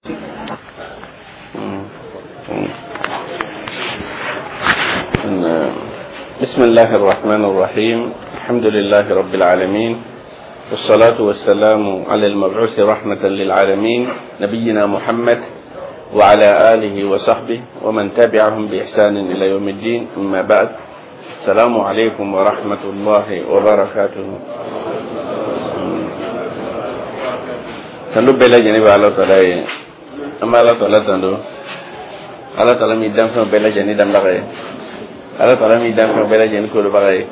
بسم الله الرحمن الرحيم. الحمد لله رب العالمين، والصلاة والسلام على المبعوث رحمة للعالمين، نبينا محمد وعلى آله وصحبه ومن تبعهم بإحسان إلى يوم الدين. أما بعد، السلام عليكم ورحمة الله وبركاته. Tando bɛɛ lajɛlen bɛ Ala tala ye. An bɛ Ala tala tando, Ala tala min danfɛnw bɛɛ lajɛlen danbaga ye, Ala tala min danfɛnw bɛɛ lajɛlen kolobaga ye,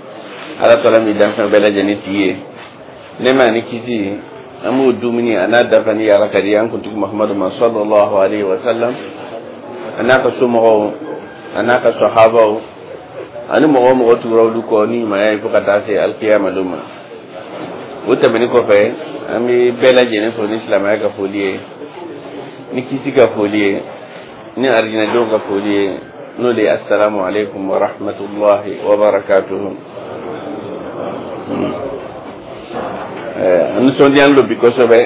Ala tala min danfɛnw bɛɛ lajɛlen tigi ye. Nɛɛma ani kisi, an b'o dumuni a n'a dafani Ala ka di an kuntigi Muhamadu ma, sallallahu alaihi wa sallam, a n'a ka somɔgɔw, a n'a ka sahabaw, ani mɔgɔ o mɔgɔ tugura olu kɔ ni ɲumanya ye fo ka taa se alikiyama don ma. O tɛmɛnen kɔfɛ, an bɛ bɛɛ lajɛlen fo ni silamɛya ka foli ye, ni kisi ka foli ye, ni arijinɛdenw ka foli ye, n'o de ye assalamu alaikum wa rahmatullahi wa barakatuhu. An nisɔndiyalen don bi kosɛbɛ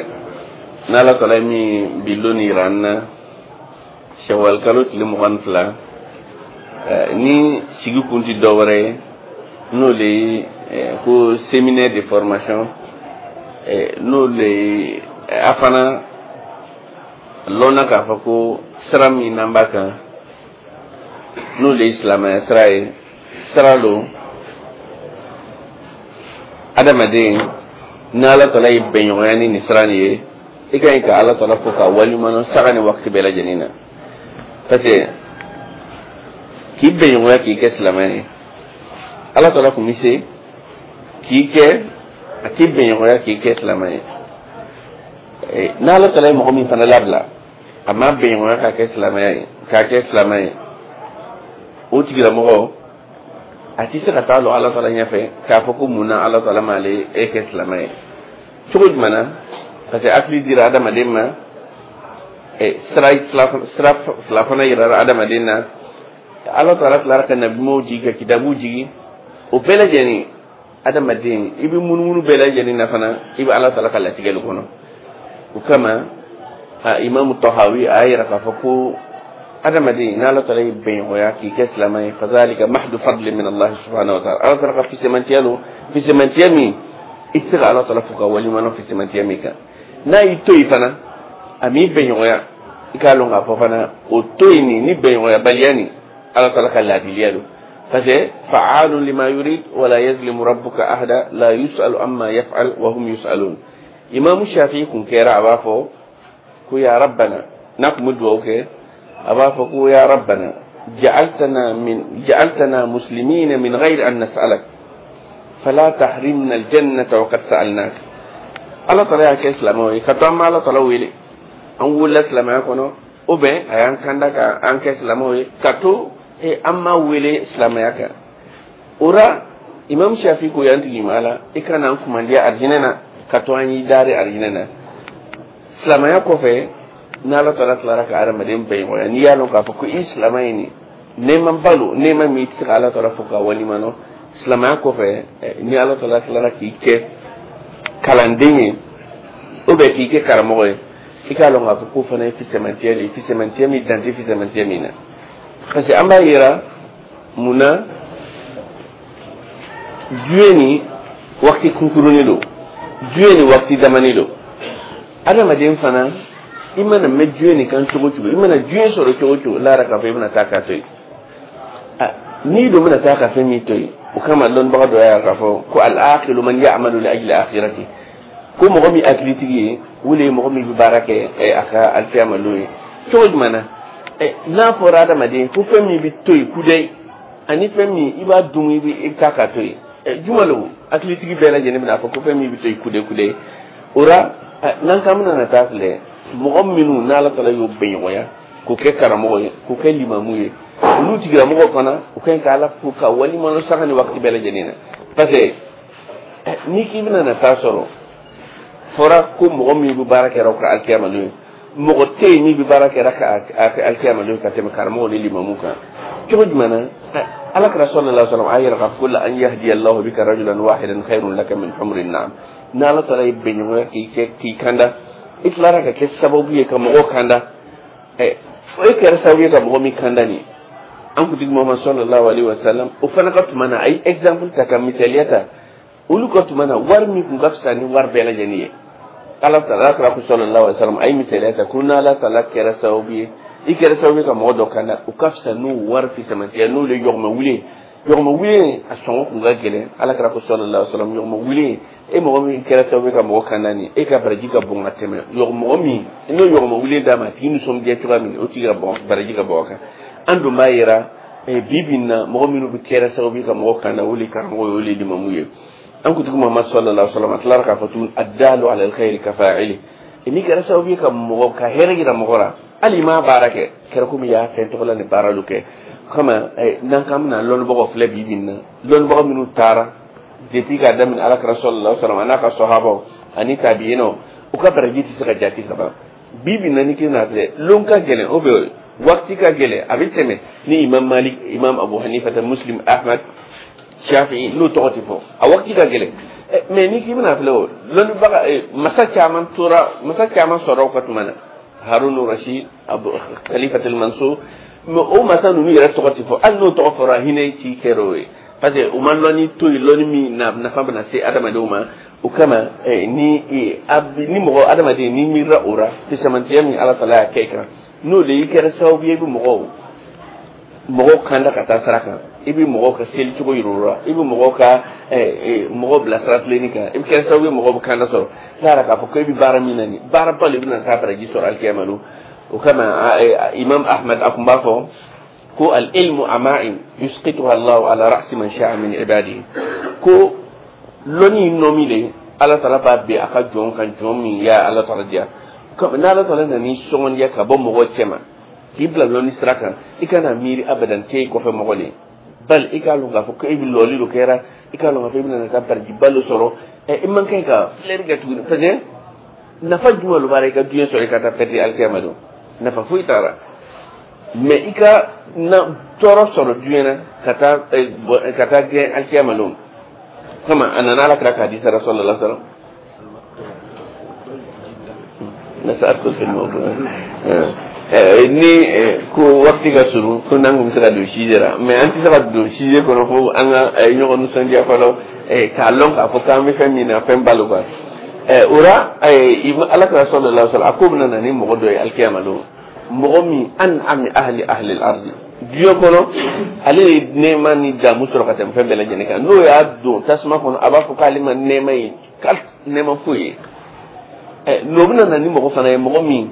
n'Ala tala ye min bi lon yira an na, sɛwali kalo tile 22, ni sigi kun tɛ dɔ wɛrɛ ye, n'o de ye ko séminaire de formation, n'o de ye a fana lɔnna k'a fɔ ko sira min n'an b'a kan, n'o de ye silamɛya sira ye. Sira don adamaden n'Ala tala ye bɛnɲɔgɔnya ni nin sira nin ye, i ka ɲi ka Ala tala fo ka waleɲuman saga ni waati bɛɛ lajɛlen na, parce que k'i bɛnɲɔgɔnya k'i kɛ silamɛ ye, Ala tala kun bɛ se k'i kɛ a t'i bɛnɲɔgɔnya k'i kɛ silamɛ ye. N'Ala tala ye mɔgɔ min fana labila, a ma bɛnɲɔgɔnya k'a kɛ silamɛya ye, k'a kɛ silamɛ ye, o tigilamɔgɔ a tɛ se ka taa lɔ Ala tala ɲɛfɛ k'a fɔ ko mun na Ala tala m'ale e kɛ silamɛ ye. Cogo jumɛn na? Parce que hakili dira adamaden ma, sira fila fana yirara adamaden na. Ala tala tilara ka nabimaw jigi, ka kitabu jigi, o bɛɛ lajɛlen adamaden i bɛ munumunu bɛɛ lajɛlen na fana, i bɛ Ala tala ka latigɛli kɔnɔ. O kama a Imamu Tahawi a y'a yira k'a fɔ ko adamaden n'Ala tala y'i bɛnɲɔgɔnya k'i kɛ silamɛ ye, fazalika mahdu fadli min Allah subhanahu wa ta'ala, Ala tala ka fisemantiya don, fisemantiya min i tɛ se ka Ala tala fo ka waleɲuman fisemantiya min kan. N'a y'i to yen fana, a m'i bɛnɲɔgɔnya, i k'a lɔn k'a fɔ fana o to yen nin ni bɛnɲɔgɔnyabaliya nin, Ala tala ka laadiliya don, parce que fa'alun lima yurid wala yazlimu rabbuka ahada la yus'alu amma yaf'al wa hum yus'alun. Imamu Shafi'i kun kɛra a b'a fɔ ko ya rabbana, n'a kun bɛ dugawu kɛ a b'a fɔ ko ya rabbana ja'altana muslimina min ghayri an nas'alak fala tahrimna aljannata wa qad sa'alnak. Ala tala y'a kɛ silamɛw ye ka to an ma Ala tala wele, an wolola silamɛya kɔnɔ, o bɛn a y'an kanda ka an kɛ silamɛw ye ka to an ma wele silamɛya kan. O la Imam Shafi ko y'an tigi ma la, i kana an kumandiya arijinɛ na ka to an y'i dari arijinɛ na. Silamɛya kɔfɛ, n'Ala tala tilara ka adamaden bɛnɲɔgɔnya, n'i y'a lɔn k'a fɔ ko i silamɛ ye nin nɛɛma balo, nɛɛma min i tɛ se ka Ala tala fo ka waleɲuman dɔn. Silamɛya kɔfɛ, ni Ala tala tilara k'i kɛ kalanden ye ou bien k'i kɛ karamɔgɔ ye, i k'a lɔn k'a fɔ k'o fana ye fisamantiya de ye, fisamantiya min dan tɛ fisamantiya min na. Parce que an b'a yira mun na diɲɛ ni waati kunkurunin don, diɲɛ ni waati damani don. Adamaden fana i mana mɛn diɲɛ nin kan cogo cogo, i mana diɲɛ sɔrɔ cogo cogo, lara k'a fɔ i bɛna taa k'a to yen. N'i dun bɛna taa ka fɛn min to yen, o kama lɔnnibaga dɔ y'a k'a fɔ ko al-aqilu man ya'malu li ajli akhirati, ko mɔgɔ min hakilitigi ye, o de ye mɔgɔ min bɛ baara kɛ a ka alikiyama don ye. Cogo jumɛn na? N'a fɔra adamaden ko fɛn min bɛ to yen kudayi, ani fɛn min i b'a dun i bɛ taa k'a to yen, juma lo hakilitigi bɛɛ lajɛlen bɛna fɔ ko fɛn min bɛ to yen kudayi kudayi. O la n'an k'an bɛna na taa filɛ, mɔgɔ minnu n'Ala tala y'o bɛnɲɔgɔnya k'o kɛ karamɔgɔ ye, k'o kɛ limamu ye, olu tigilamɔgɔw fana u ka ɲi ka Ala fo ka waleɲuman sanga ni waati bɛɛ lajɛlen na. Parce que n'i k'i bɛna na taa sɔrɔ fɔra ko mɔgɔ min bɛ baara kɛra o ka alikiyama don ye, mɔgɔ tɛ yen min bɛ baara kɛra ka alikiyama don ka tɛmɛ karamɔgɔ ni limamu kan. Cogo jumɛn na? Ala kira sallallahu alaihi wasallam a yɛrɛ k'a fɔ ko la an yahdiya Allahu bika rajulan wahidan khairun laka min humrin na'am. N'Ala taala ye bɛnɲɔgɔnya k'i kɛ k'i kanda, i tilara ka kɛ sababu ye ka mɔgɔw kanda. E kɛra sababu ye ka mɔgɔ min kanda nin, an kuntigi Muhammad sallallahu alaihi wasallam, o fana ka tuma na, a ye exemple ta ka misaliya ta olu ka tuma na, wari min kun ka fisa ni wari bɛɛ lajɛlen ye. Ala taala kira ko sallallahu alaihi wasallam, a ye misaliya ta ko n'Ala taala kɛra sababu ye, i kɛra sababu ye ka mɔgɔ dɔ kanda, o ka fisa n'o wari fisamantiya, n'o le yɔgɔmɛ wuli. Yɔgɔmɛ wuli, a sɔngɔ kun ka gɛlɛn. Ala kira ko sallallahu alaihi wasallam, yɔgɔmɛ wuli, e mɔgɔ min kɛra sababu ye ka mɔgɔ kanda nin, e ka baraji ka bon ka tɛmɛ mɔgɔ min n'o yɔgɔmɛ wuli d'a ma, a tigi nisɔndiya cogoya min, o tigi ka bɔn, baraji ka bɔ a kan. An dun b'a yira bi bi in na, mɔgɔ minnu bɛ kɛra sababu ye ka mɔgɔ kanda, o le karamɔgɔ ye, o le limamu ye. An kuntigi Muhammad sallallahu alaihi wasallam, a tilara k'a fɔ tuguni: addalu ala alkhairi kafa'ili. N'i kɛra sababu ye ka mɔgɔ ka hɛrɛ yira mɔgɔ la, hali i m'a baara kɛ, kɛra komi i y'a fɛn tɔgɔ la ni baara dɔ kɛ. Kama n'an k'an bɛna lɔnnibagaw filɛ bi bi in na, lɔnnibaga minnu taara depuis k'a daminɛ Ala kira sallallahu alaihi wasallam, a n'a ka sɔhabaw ani tabi'inaw, u ka baraji tɛ se ka jate ka ban. Bi bi in na, ni k'i n'a filɛ, lon ka gɛlɛn, o bɛ waati ka gɛlɛn, a bɛ tɛmɛ ni Imam Malik, Imam Abu Hanifa, Muslim, Ahmad, Shafi'i, n'o tɔgɔ tɛ fɔ, a waati ka gɛlɛn. Mais ni k'i bɛna filɛ, o lɔnnibaga masa caman tora, masa caman sɔrɔ u ka tuma na, Harun Rashid, Abu Khalifatul Mansur, mais o masa ninnu yɛrɛ tɔgɔ tɛ fɔ. Hali n'o tɔgɔ fɔra, hinɛ ci kɛra o ye, parce que u ma lɔnni to yen, lɔnni min na nafa bɛna se adamadenw ma. O kama ni mɔgɔ adamaden ni miirila o la, fisamantiya min Ala taala y'a kɛ i kan, n'o de i kɛra sababu ye i bɛ mɔgɔw kanda ka taa sira kan, i bɛ mɔgɔw ka seli cogo yir'u la, i bɛ mɔgɔw ka mɔgɔw bila sira tilenni kan, i bɛ kɛ sababu ye mɔgɔw bɛ kanda sɔrɔ n'a yɛrɛ k'a fɔ ko e bɛ baara min na nin baaraba de bɛna taa baraji sɔrɔ alikiyama don. O kama Imam Ahmad a kun b'a fɔ ko al ilmu ama'in yusqituha Allahu ala ra'si man sha'a min ibadihi, ko lɔnni nɔmi de Ala taala b'a bɛn a ka jɔn kan, jɔn min ya Ala taala diya. N'Ala taala nana sɔngɔndiya ka bɔ mɔgɔ cɛ ma k'i bila lɔnni sira kan, i kana miiri abadan k'e kɔfɛ mɔgɔ de, bali i k'a lɔn k'a fɔ ko e bɛ lɔli dɔ kɛra, i k'a lɔn k'a fɔ e bɛna taa barajiba dɔ sɔrɔ. I man kan ka filɛri kɛ tuguni, parce que nafa jumɛn de b'a la i ka diɲɛ sɔrɔ i ka taa pɛrɛdi alikiyama don? Nafa foyi t'a la. Mais i ka na tɔɔrɔ sɔrɔ diɲɛ na ka taa gɛn alikiyama don. Kama a nana Ala kira k'a di sara sallallahu alaihi wasallam nasa'adkhul fil mawdu' ni ko waati ka surun, ko n'an kun bɛ se ka don sujet la, mais an tɛ se ka don sujet kɔnɔ fo an ka ɲɔgɔn nisɔndiya fɔlɔ, k'a lɔn k'a fɔ k'an bɛ fɛn min na, fɛn balo quoi. O la Ala kira sallallahu alaihi wasallam a ko bɛna na ni mɔgɔ dɔ ye alikiyama don, mɔgɔ min an'ami ahli al-ardi, diɲɛ kɔnɔ ale ye nɛɛma ni damu sɔrɔ ka tɛmɛ fɛn bɛɛ lajɛlen kan. N'o y'a don tasuma kɔnɔ, a b'a fɔ k'ale ma nɛɛma ye, k'ale nɛɛma foyi ye. N'o bɛna na ni mɔgɔ fana ye, mɔgɔ min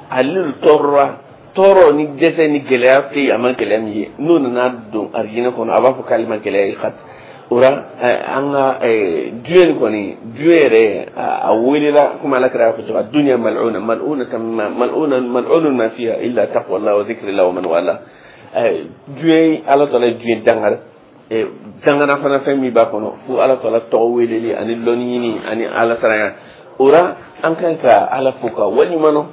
ale tɔɔrɔra, tɔɔrɔ ni dɛsɛ ni gɛlɛya fɛ yen, a ma gɛlɛya min ye, n'o nana don arijinɛ kɔnɔ, a b'a fɔ k'ale ma gɛlɛya ye. Ka o la an ka diɲɛ nin kɔni, diɲɛ yɛrɛ a welela komi Ala kira y'a fɔ cogo min: dunya mal'una mal'una mal'una mal'unun ma fiha illa taqwa Allah wa dhikrillah wa man wala. Diɲɛ, Ala taala ye diɲɛ dangara, dangana fana fɛn min b'a kɔnɔ fo Ala taala tɔgɔ weleli ani lɔnni ɲini ani Ala saranya. O la an kan ka Ala fo ka waleɲuman dɔn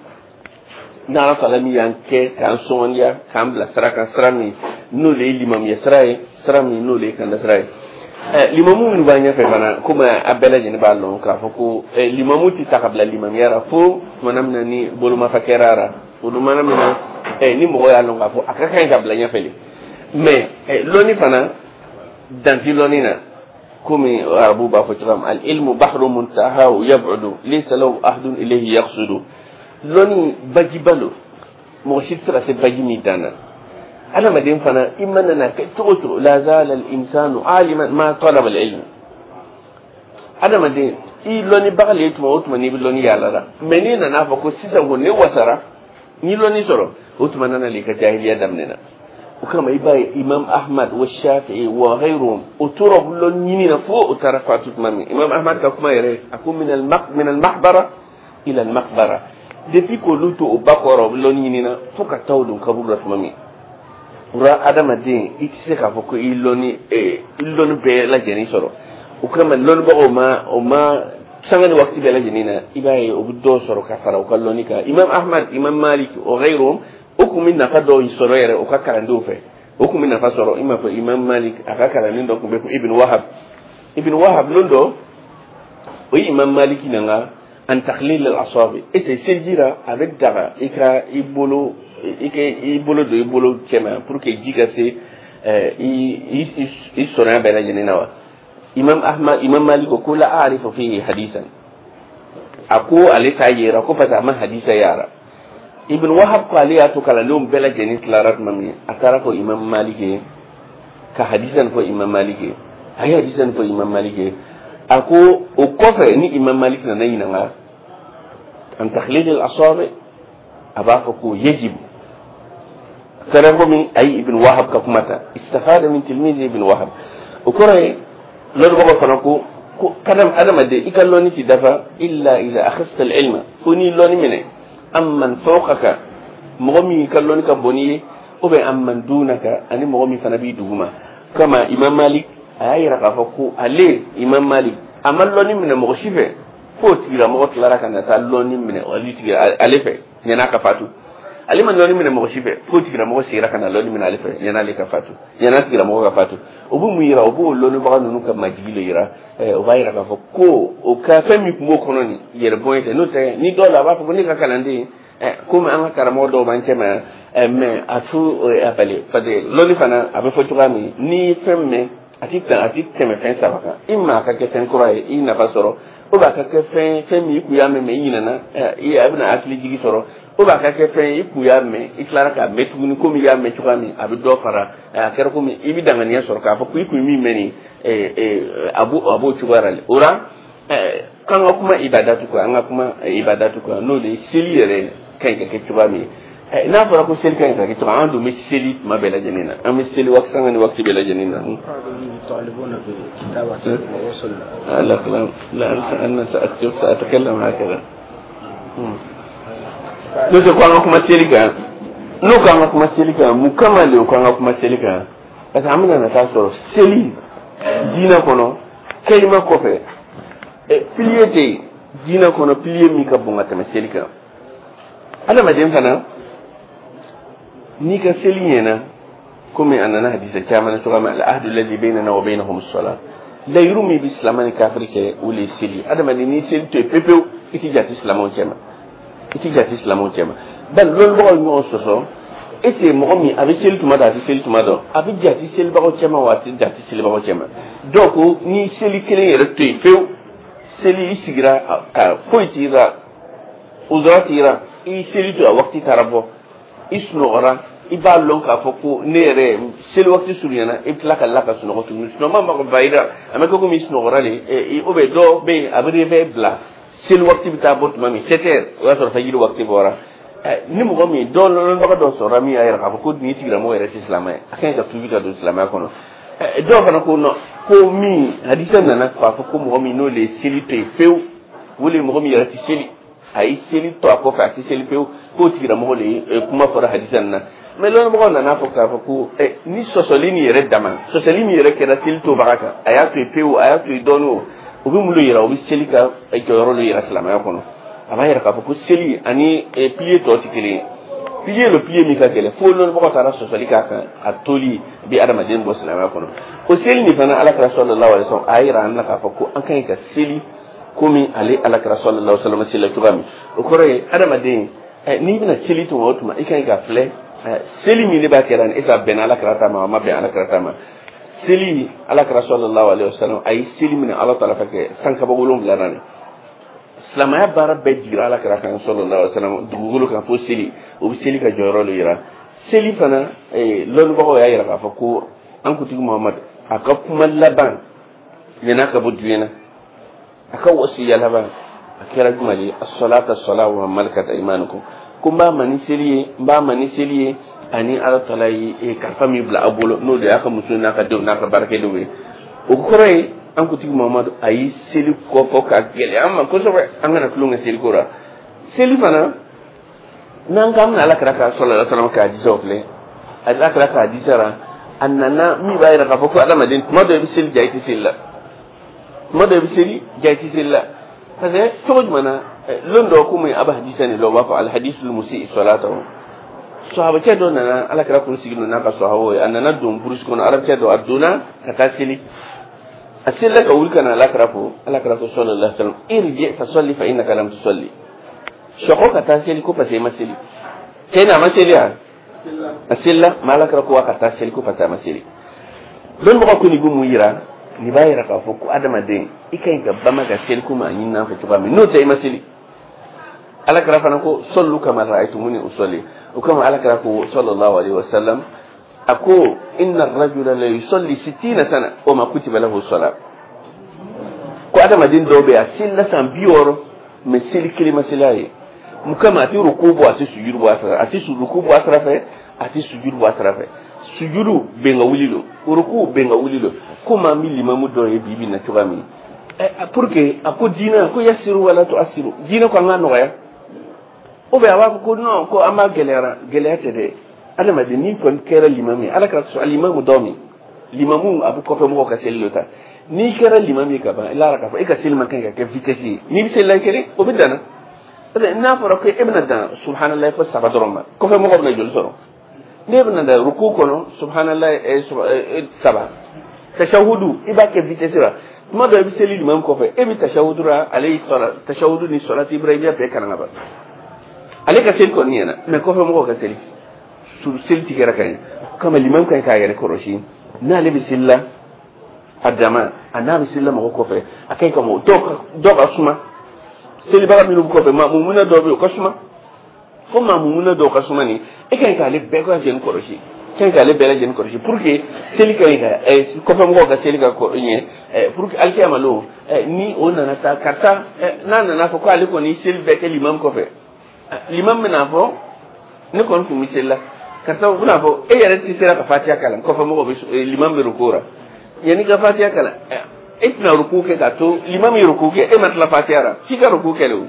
n'Ala taala min y'an kɛ k'an sɔngɔndiya k'an bila sira kan, sira min n'o de ye limamuya sira ye, sira min n'o de ye kanda sira ye. Limamu minnu b'an ɲɛfɛ fana, komi a bɛɛ lajɛlen b'a lɔn k'a fɔ ko limamu tɛ ta ka bila limamuya la fo tumana min na ni bolomafa kɛra a la, o tumana min na ni mɔgɔ y'a lɔn k'a fɔ a ka kan ka bila ɲɛfɛ de. Mais lɔnni fana dan ti lɔnni na, komi arabu b'a fɔ cogoya min: al ilmu bahru muntahahu yab'udu laysa lahu ahadun ilayhi yaqsudu. Lɔnni bajiba lo, mɔgɔ si tɛ se ka se baji min dan na. Adamaden fana i mana na kɛ cogo o cogo, la zala al insanu aliman ma talaba al ilm. Adamaden i lɔnnibaga le ye tuma o tuma n'i bɛ lɔnni yaala la, mais n'i nana fɔ ko sisan ko ne wasara n'i lɔnni sɔrɔ, o tuma nana le i ka jahiliya daminɛna. O kama i b'a ye Imam Ahmad wa Shafi'i wa ghayruhum, o tora lɔnni ɲini na fo o taara fatu tuma min. Imam Ahmad ka kuma yɛrɛ, a ko min al mahbara ila al maqbara, depuis k'olu to o ba kɔrɔ, o bɛ lɔnni ɲini na fo ka taa o don kaburu la tuma min. O la adamaden i tɛ se k'a fɔ ko i lɔnni bɛɛ lajɛlen sɔrɔ. O kama lɔnnibagaw ma o ma sanga ni waati bɛɛ lajɛlen na, i b'a ye o bɛ dɔw sɔrɔ ka fara u ka lɔnni kan. Imam Ahmad, Imam Malik o ghayruhum, o kun bɛ nafa dɔw sɔrɔ yɛrɛ o ka kalandenw fɛ, o kun bɛ nafa sɔrɔ. I m'a fɔ Imam Malik a ka kalanden dɔ tun bɛ ko Ibn Wahab. Ibn Wahab, lon dɔ o ye Imam Malik nana an takhlil al asabi, et c'est seliji la, a bɛ daga i ka i bolo i ka i bolo don i bolo cɛma pour que ji ka se i sɔnna bɛɛ lajɛlen na wa? Imam Ahmad, Imam Malik ko la a'rifu fihi hadisan. A ko ale t'a yera ko parce que a ma hadisa yara. Ibn Wahab ko ale y'a to kalandenw bɛɛ lajɛlen tilara tuma min, a taara fɔ Imam Malik ye ka hadisa nin fɔ Imam Malik ye. A ye hadisa nin fɔ Imam Malik ye. A ko o kɔfɛ, ni Imam Malik nana ɲininka an takhlil al asabi, a b'a fɔ ko yajib. Kɛra komi a ye Ibn Wahab ka kuma ta, istafada min tilmizi Ibn Wahab. O kɔrɔ ye, lɔnnibagaw fana ko kadam adamaden, i ka lɔnni ti dafa illa idha akhadta al ilma, fo n'i lɔnni minɛ amman fawqaka, mɔgɔ min ka lɔnni ka bon n'i ye, ou bien amman dunaka, ani mɔgɔ min fana b'i duguma. Kama Imam Malik a y'a yira k'a fɔ ko ale Imam Malik a ma lɔnni minɛ mɔgɔ si fɛ f'o tigilamɔgɔ tilara ka na taa lɔnni minɛ ale tigi ale fɛ ɲan'a ka fatu. Ale ma lɔnni minɛ mɔgɔ si fɛ f'o tigilamɔgɔ segira ka na lɔnni minɛ ale fɛ ɲan'ale ka fatu, ɲan'a tigilamɔgɔ ka fatu. O bɛ mun yira? O b'o lɔnnibaga ninnu ka majigi le yira. O b'a yira k'a fɔ ko o ka fɛn min tun b'o kɔnɔ nin yɛrɛ bonya tɛ. N'o tɛ, ni dɔw la, a b'a fɔ ko ne ka kalanden, komi an ka karamɔgɔ dɔw b'an cɛ ma yan, mais a tu a bali, parce que lɔnni fana a bɛ fɔ cogoya min, n'i ye fɛn mɛn, a ti tɛmɛ fɛn saba kan. I ma a ka kɛ fɛn kura ye, i nafa sɔrɔ, ou bien a ka kɛ fɛn min i kun y'a mɛn, mais i ɲinɛna, a bɛna hakili jigi sɔrɔ, ou bien a ka kɛ fɛn i kun y'a mɛn, i tilara k'a mɛn tuguni komi i y'a mɛn cogoya min, a bɛ dɔ fara a kɛra komi i bɛ danganiya sɔrɔ k'a fɔ ko i kun ye min mɛn nin, a b'o cogoya la. O la, k'an ka kuma ibadatu kan, an ka kuma ibadatu kan, n'o de ye seli yɛrɛ ka ɲi ka kɛ cogoya min ye. N'a fɔra ko seli ka ɲi ka kɛ cogo, an dun bɛ seli tuma bɛɛ lajɛlen na, an bɛ seli waati sanga ni waati bɛɛ lajɛlen na. لا لا لا، أنا سأكتب، سأتكلم هكذا. N'o tɛ ko an ka kuma seli kan, n'o ko an ka kuma seli kan, mun kama de ko an ka kuma seli kan? Parce que an bɛna na taa sɔrɔ seli diinɛ kɔnɔ, kalima kɔfɛ, pilier tɛ yen diinɛ kɔnɔ, pilier min ka bon ka tɛmɛ seli kan. Adamaden fana, n'i ka seli ɲɛna, komi a nana hadisa caman na cogoya min, al-ahdu alladhi baynana wa baynahum as-salat, layiru min bɛ silamɛ ni kafiri cɛ, o le ye seli. Adamaden, n'i seli to yen pewu pewu, i ti jate silamɛw cɛ ma, i ti jate silamɛw cɛ ma. Bari lɔnnibagaw ɲɔgɔn sɔsɔ, est ce que mɔgɔ min a bɛ seli tuma dɔ, a tɛ seli tuma dɔ, a bɛ jate selibagaw cɛ ma wa, a tɛ jate selibagaw cɛ ma? Dɔw ko ni seli kelen yɛrɛ to yen pewu, seli i sigira ka foyi t'i la, uzura t'i la, i seli to a waati taara bɔ, i sunɔgɔra, i b'a lɔn k'a fɔ ko ne yɛrɛ seli waati surunyana, i bɛ tila ka la ka sunɔgɔ tuguni, sunɔgɔ ma ba i la, a bɛ kɛ komi i sunɔgɔra de. Ou bien dɔw bɛ yen, a bɛ réveil bila, seli waati bɛ taa bɔ tuma min, 7 heures, o y'a sɔrɔ fajiri waati bɔra. Ni mɔgɔ min dɔ lɔnbaga dɔ sɔrɔla min y'a yira k'a fɔ ko nin tigilamɔgɔ yɛrɛ tɛ silamɛ ye, a ka ɲi ka tuubi ka don silamɛya kɔnɔ. Dɔw fana ko non, ko min hadisa nana k'a fɔ ko mɔgɔ min n'o de ye seli to yen pewu, o de ye mɔgɔ min yɛrɛ tɛ seli, a ye seli to a kɔfɛ, a tɛ seli pewu, k'o tigilamɔgɔ de ye kuma fɔra hadisa nin na. Mais lɔnnibagaw nana fɔ k'a fɔ ko ni sɔsɔli nin yɛrɛ dama, sɔsɔli min yɛrɛ kɛra seli tobaga kan, a y'a to yen pewu, a y'a to yen dɔɔnin, o o bɛ mun de yira? O bɛ seli ka jɔyɔrɔ de yira silamɛya kɔnɔ. A b'a yira k'a fɔ ko seli ani pilier tɔ tɛ kelen ye. Pilier le, pilier min ka gɛlɛn fo lɔnnibagaw taara sɔsɔli k'a kan, a toli bɛ adamaden bɔ silamɛya kɔnɔ. O seli nin fana, Alakira sallallahu alaihi wasallam a y'a yira an na k'a fɔ ko an ka ɲi ka seli komi ale Alakira sallallahu alaihi wasallam seli cogoya min. O kɔrɔ ye, adamaden, n'i bɛna seli tuma o tuma, i ka ɲi ka filɛ seli min ne b'a kɛra nin, e ka bɛn Alakira ta ma, a ma bɛn Alakira ta ma. Seli, Alakira sallallahu alaihi wasallam a ye seli minɛ Ala taala fɛ kɛ san kaba 7 na. Silamɛya baara bɛɛ jigira Alakira kan sallallahu alaihi wasallam dugukolo kan fo seli. O bɛ seli ka jɔyɔrɔ de yira. Seli fana, lɔnnibagaw y'a yira k'a fɔ ko an kuntigi Muhamadu a ka kuma laban yan'a ka bɔ diɲɛ na, a ka wasiya laban a kɛra jumɛn ye? As-salata as-salatu wa malakat aymanukum. Ko n b'a ma ni seli ye, n b'a ma ni seli ye, ani Ala taala ye kalifa min bila a bolo, n'o de y'a ka muso n'a ka denw n'a ka baarakɛdenw ye. O kɔrɔ ye, an kuntigi Muhamadu a ye seli kɔfɔ ka gɛlɛya an ma kosɛbɛ, an kana tulon kɛ seliko la. Seli fana, n'an k'an bɛna Ala kira ka sallallahu alaihi wasallam ka hadisaw filɛ, Ala kira ka hadisa la a nana min b'a yira k'a fɔ ko adamaden, tuma dɔ i bɛ seli ja, i tɛ seli la, tuma dɔ i bɛ seli ja, i tɛ seli la. Parce que cogo jumɛn na, lon dɔ, komi a bɛ hadisa nin la, u b'a fɔ alhadisul musii salatahu, sahabacɛ dɔ nana, Ala kira kun sigi n'a ka sahabaw ye, a nana don burusi kɔnɔ, arabicɛ dɔ, a donna ka taa seli, a selila ka wuli ka na Ala kira fo. Ala kira ko sallallahu alaihi wasallam: irji fa salli fa innaka lam tusalli. Sɔkɔ ka taa seli ko parce que i ma seli. Cɛ nin, a ma seli wa? A selila, mais Ala kɛra ko a ka taa seli ko parce que a ma seli. Dɔnnibagaw ko nin bɛ mun yira? Nin b'a yira k'a fɔ ko adamaden, i ka ɲi ka bama ka seli komi a ɲinina an fɛ cogoya min. N'o tɛ, i ma seli. Ala kɛra fana ko صلوا كما رأيتموني أصلي. O kama Ala kɛra ko صلى الله عليه وسلم, a ko إن الرجل ليصلي 60 سنة وما كتب له صلاة. Ko adamaden dɔw bɛ yen, a selila san 60, mais seli kelen ma seli a ye. Mun kama? A tɛ ruku bɔ, a tɛ sujudu bɔ a sira, a tɛ ruku bɔ a sira fɛ, a tɛ sujudu bɔ a sira fɛ. Sujudu bɛn ka wuli don, ruku bɛn ka wuli don. Komi an bɛ limamu dɔ ye bi bi in na cogoya min, pour que a ko diinɛ ko يسروا ولا تعسروا, diinɛ ko an ka nɔgɔya, ou bien a b'a fɔ ko non, ko an b'a gɛlɛyara. Gɛlɛya tɛ dɛ. Adamaden, n'i kɔni kɛra limamu ye, Ala ka sɔn limamu dɔ min limamu, a bɛ kɔfɛ mɔgɔw ka seli dɔ ta. N'i kɛra limamu ye ka ban, i lara k'a fɔ e ka seli man kan ka kɛ vitesse ye. N'i bɛ seli la kelen, o bɛ danna, parce que n'a fɔra ko e bɛna dan سبحان الله fo saba dɔrɔn ma, kɔfɛ mɔgɔw bɛna joli sɔrɔ? N'e bɛna dan ruku kɔnɔ سبحان الله saba, tashahudu i b'a kɛ vitesse la. Tuma dɔ i bɛ seli limamu kɔfɛ, e bɛ tashahudu la, ale y'i sɔrɔ tashahudu ni sɔlati ibrahimiya bɛɛ kalan ka ban. Ale ka seli kɔni ɲɛna, mais kɔfɛ mɔgɔw ka seli tigɛra ka ɲɛ. O kama limamu ka ɲi k'a yɛrɛ kɔlɔsi. N'ale bɛ seli la a dama, a n'a bɛ seli la mɔgɔ kɔfɛ, a ka ɲi ka mɔgɔ dɔw ka suma. Selibaga minnu bɛ kɔfɛ, maamumuna dɔw bɛ yen, o ka suma fo maamumuna dɔw ka suma. Nin e ka ɲi k'ale bɛɛ lajɛlen kɔlɔsi, ka ɲi k'ale bɛɛ lajɛlen kɔlɔsi pour que seli ka ɲi ka kɔfɛ mɔgɔw ka seli ka ɲɛ, pour que alikiyama lon ni o nana taa, karisa n'a nana fɔ ko ale kɔni seli bɛɛ kɛ limamu kɔfɛ, limam bɛna fɔ ne kɔni tun bɛ seli la. Karisa bɛna fɔ e yɛrɛ tɛ sera ka Fatiya kalan, kɔfɛ mɔgɔw bɛ, limam bɛ ruku la, yanni ka Fatiya kalan, e tɛna ruku kɛ k'a to limam ye ruku kɛ, e ma tila Fatiya la, f'i ka ruku kɛ de o,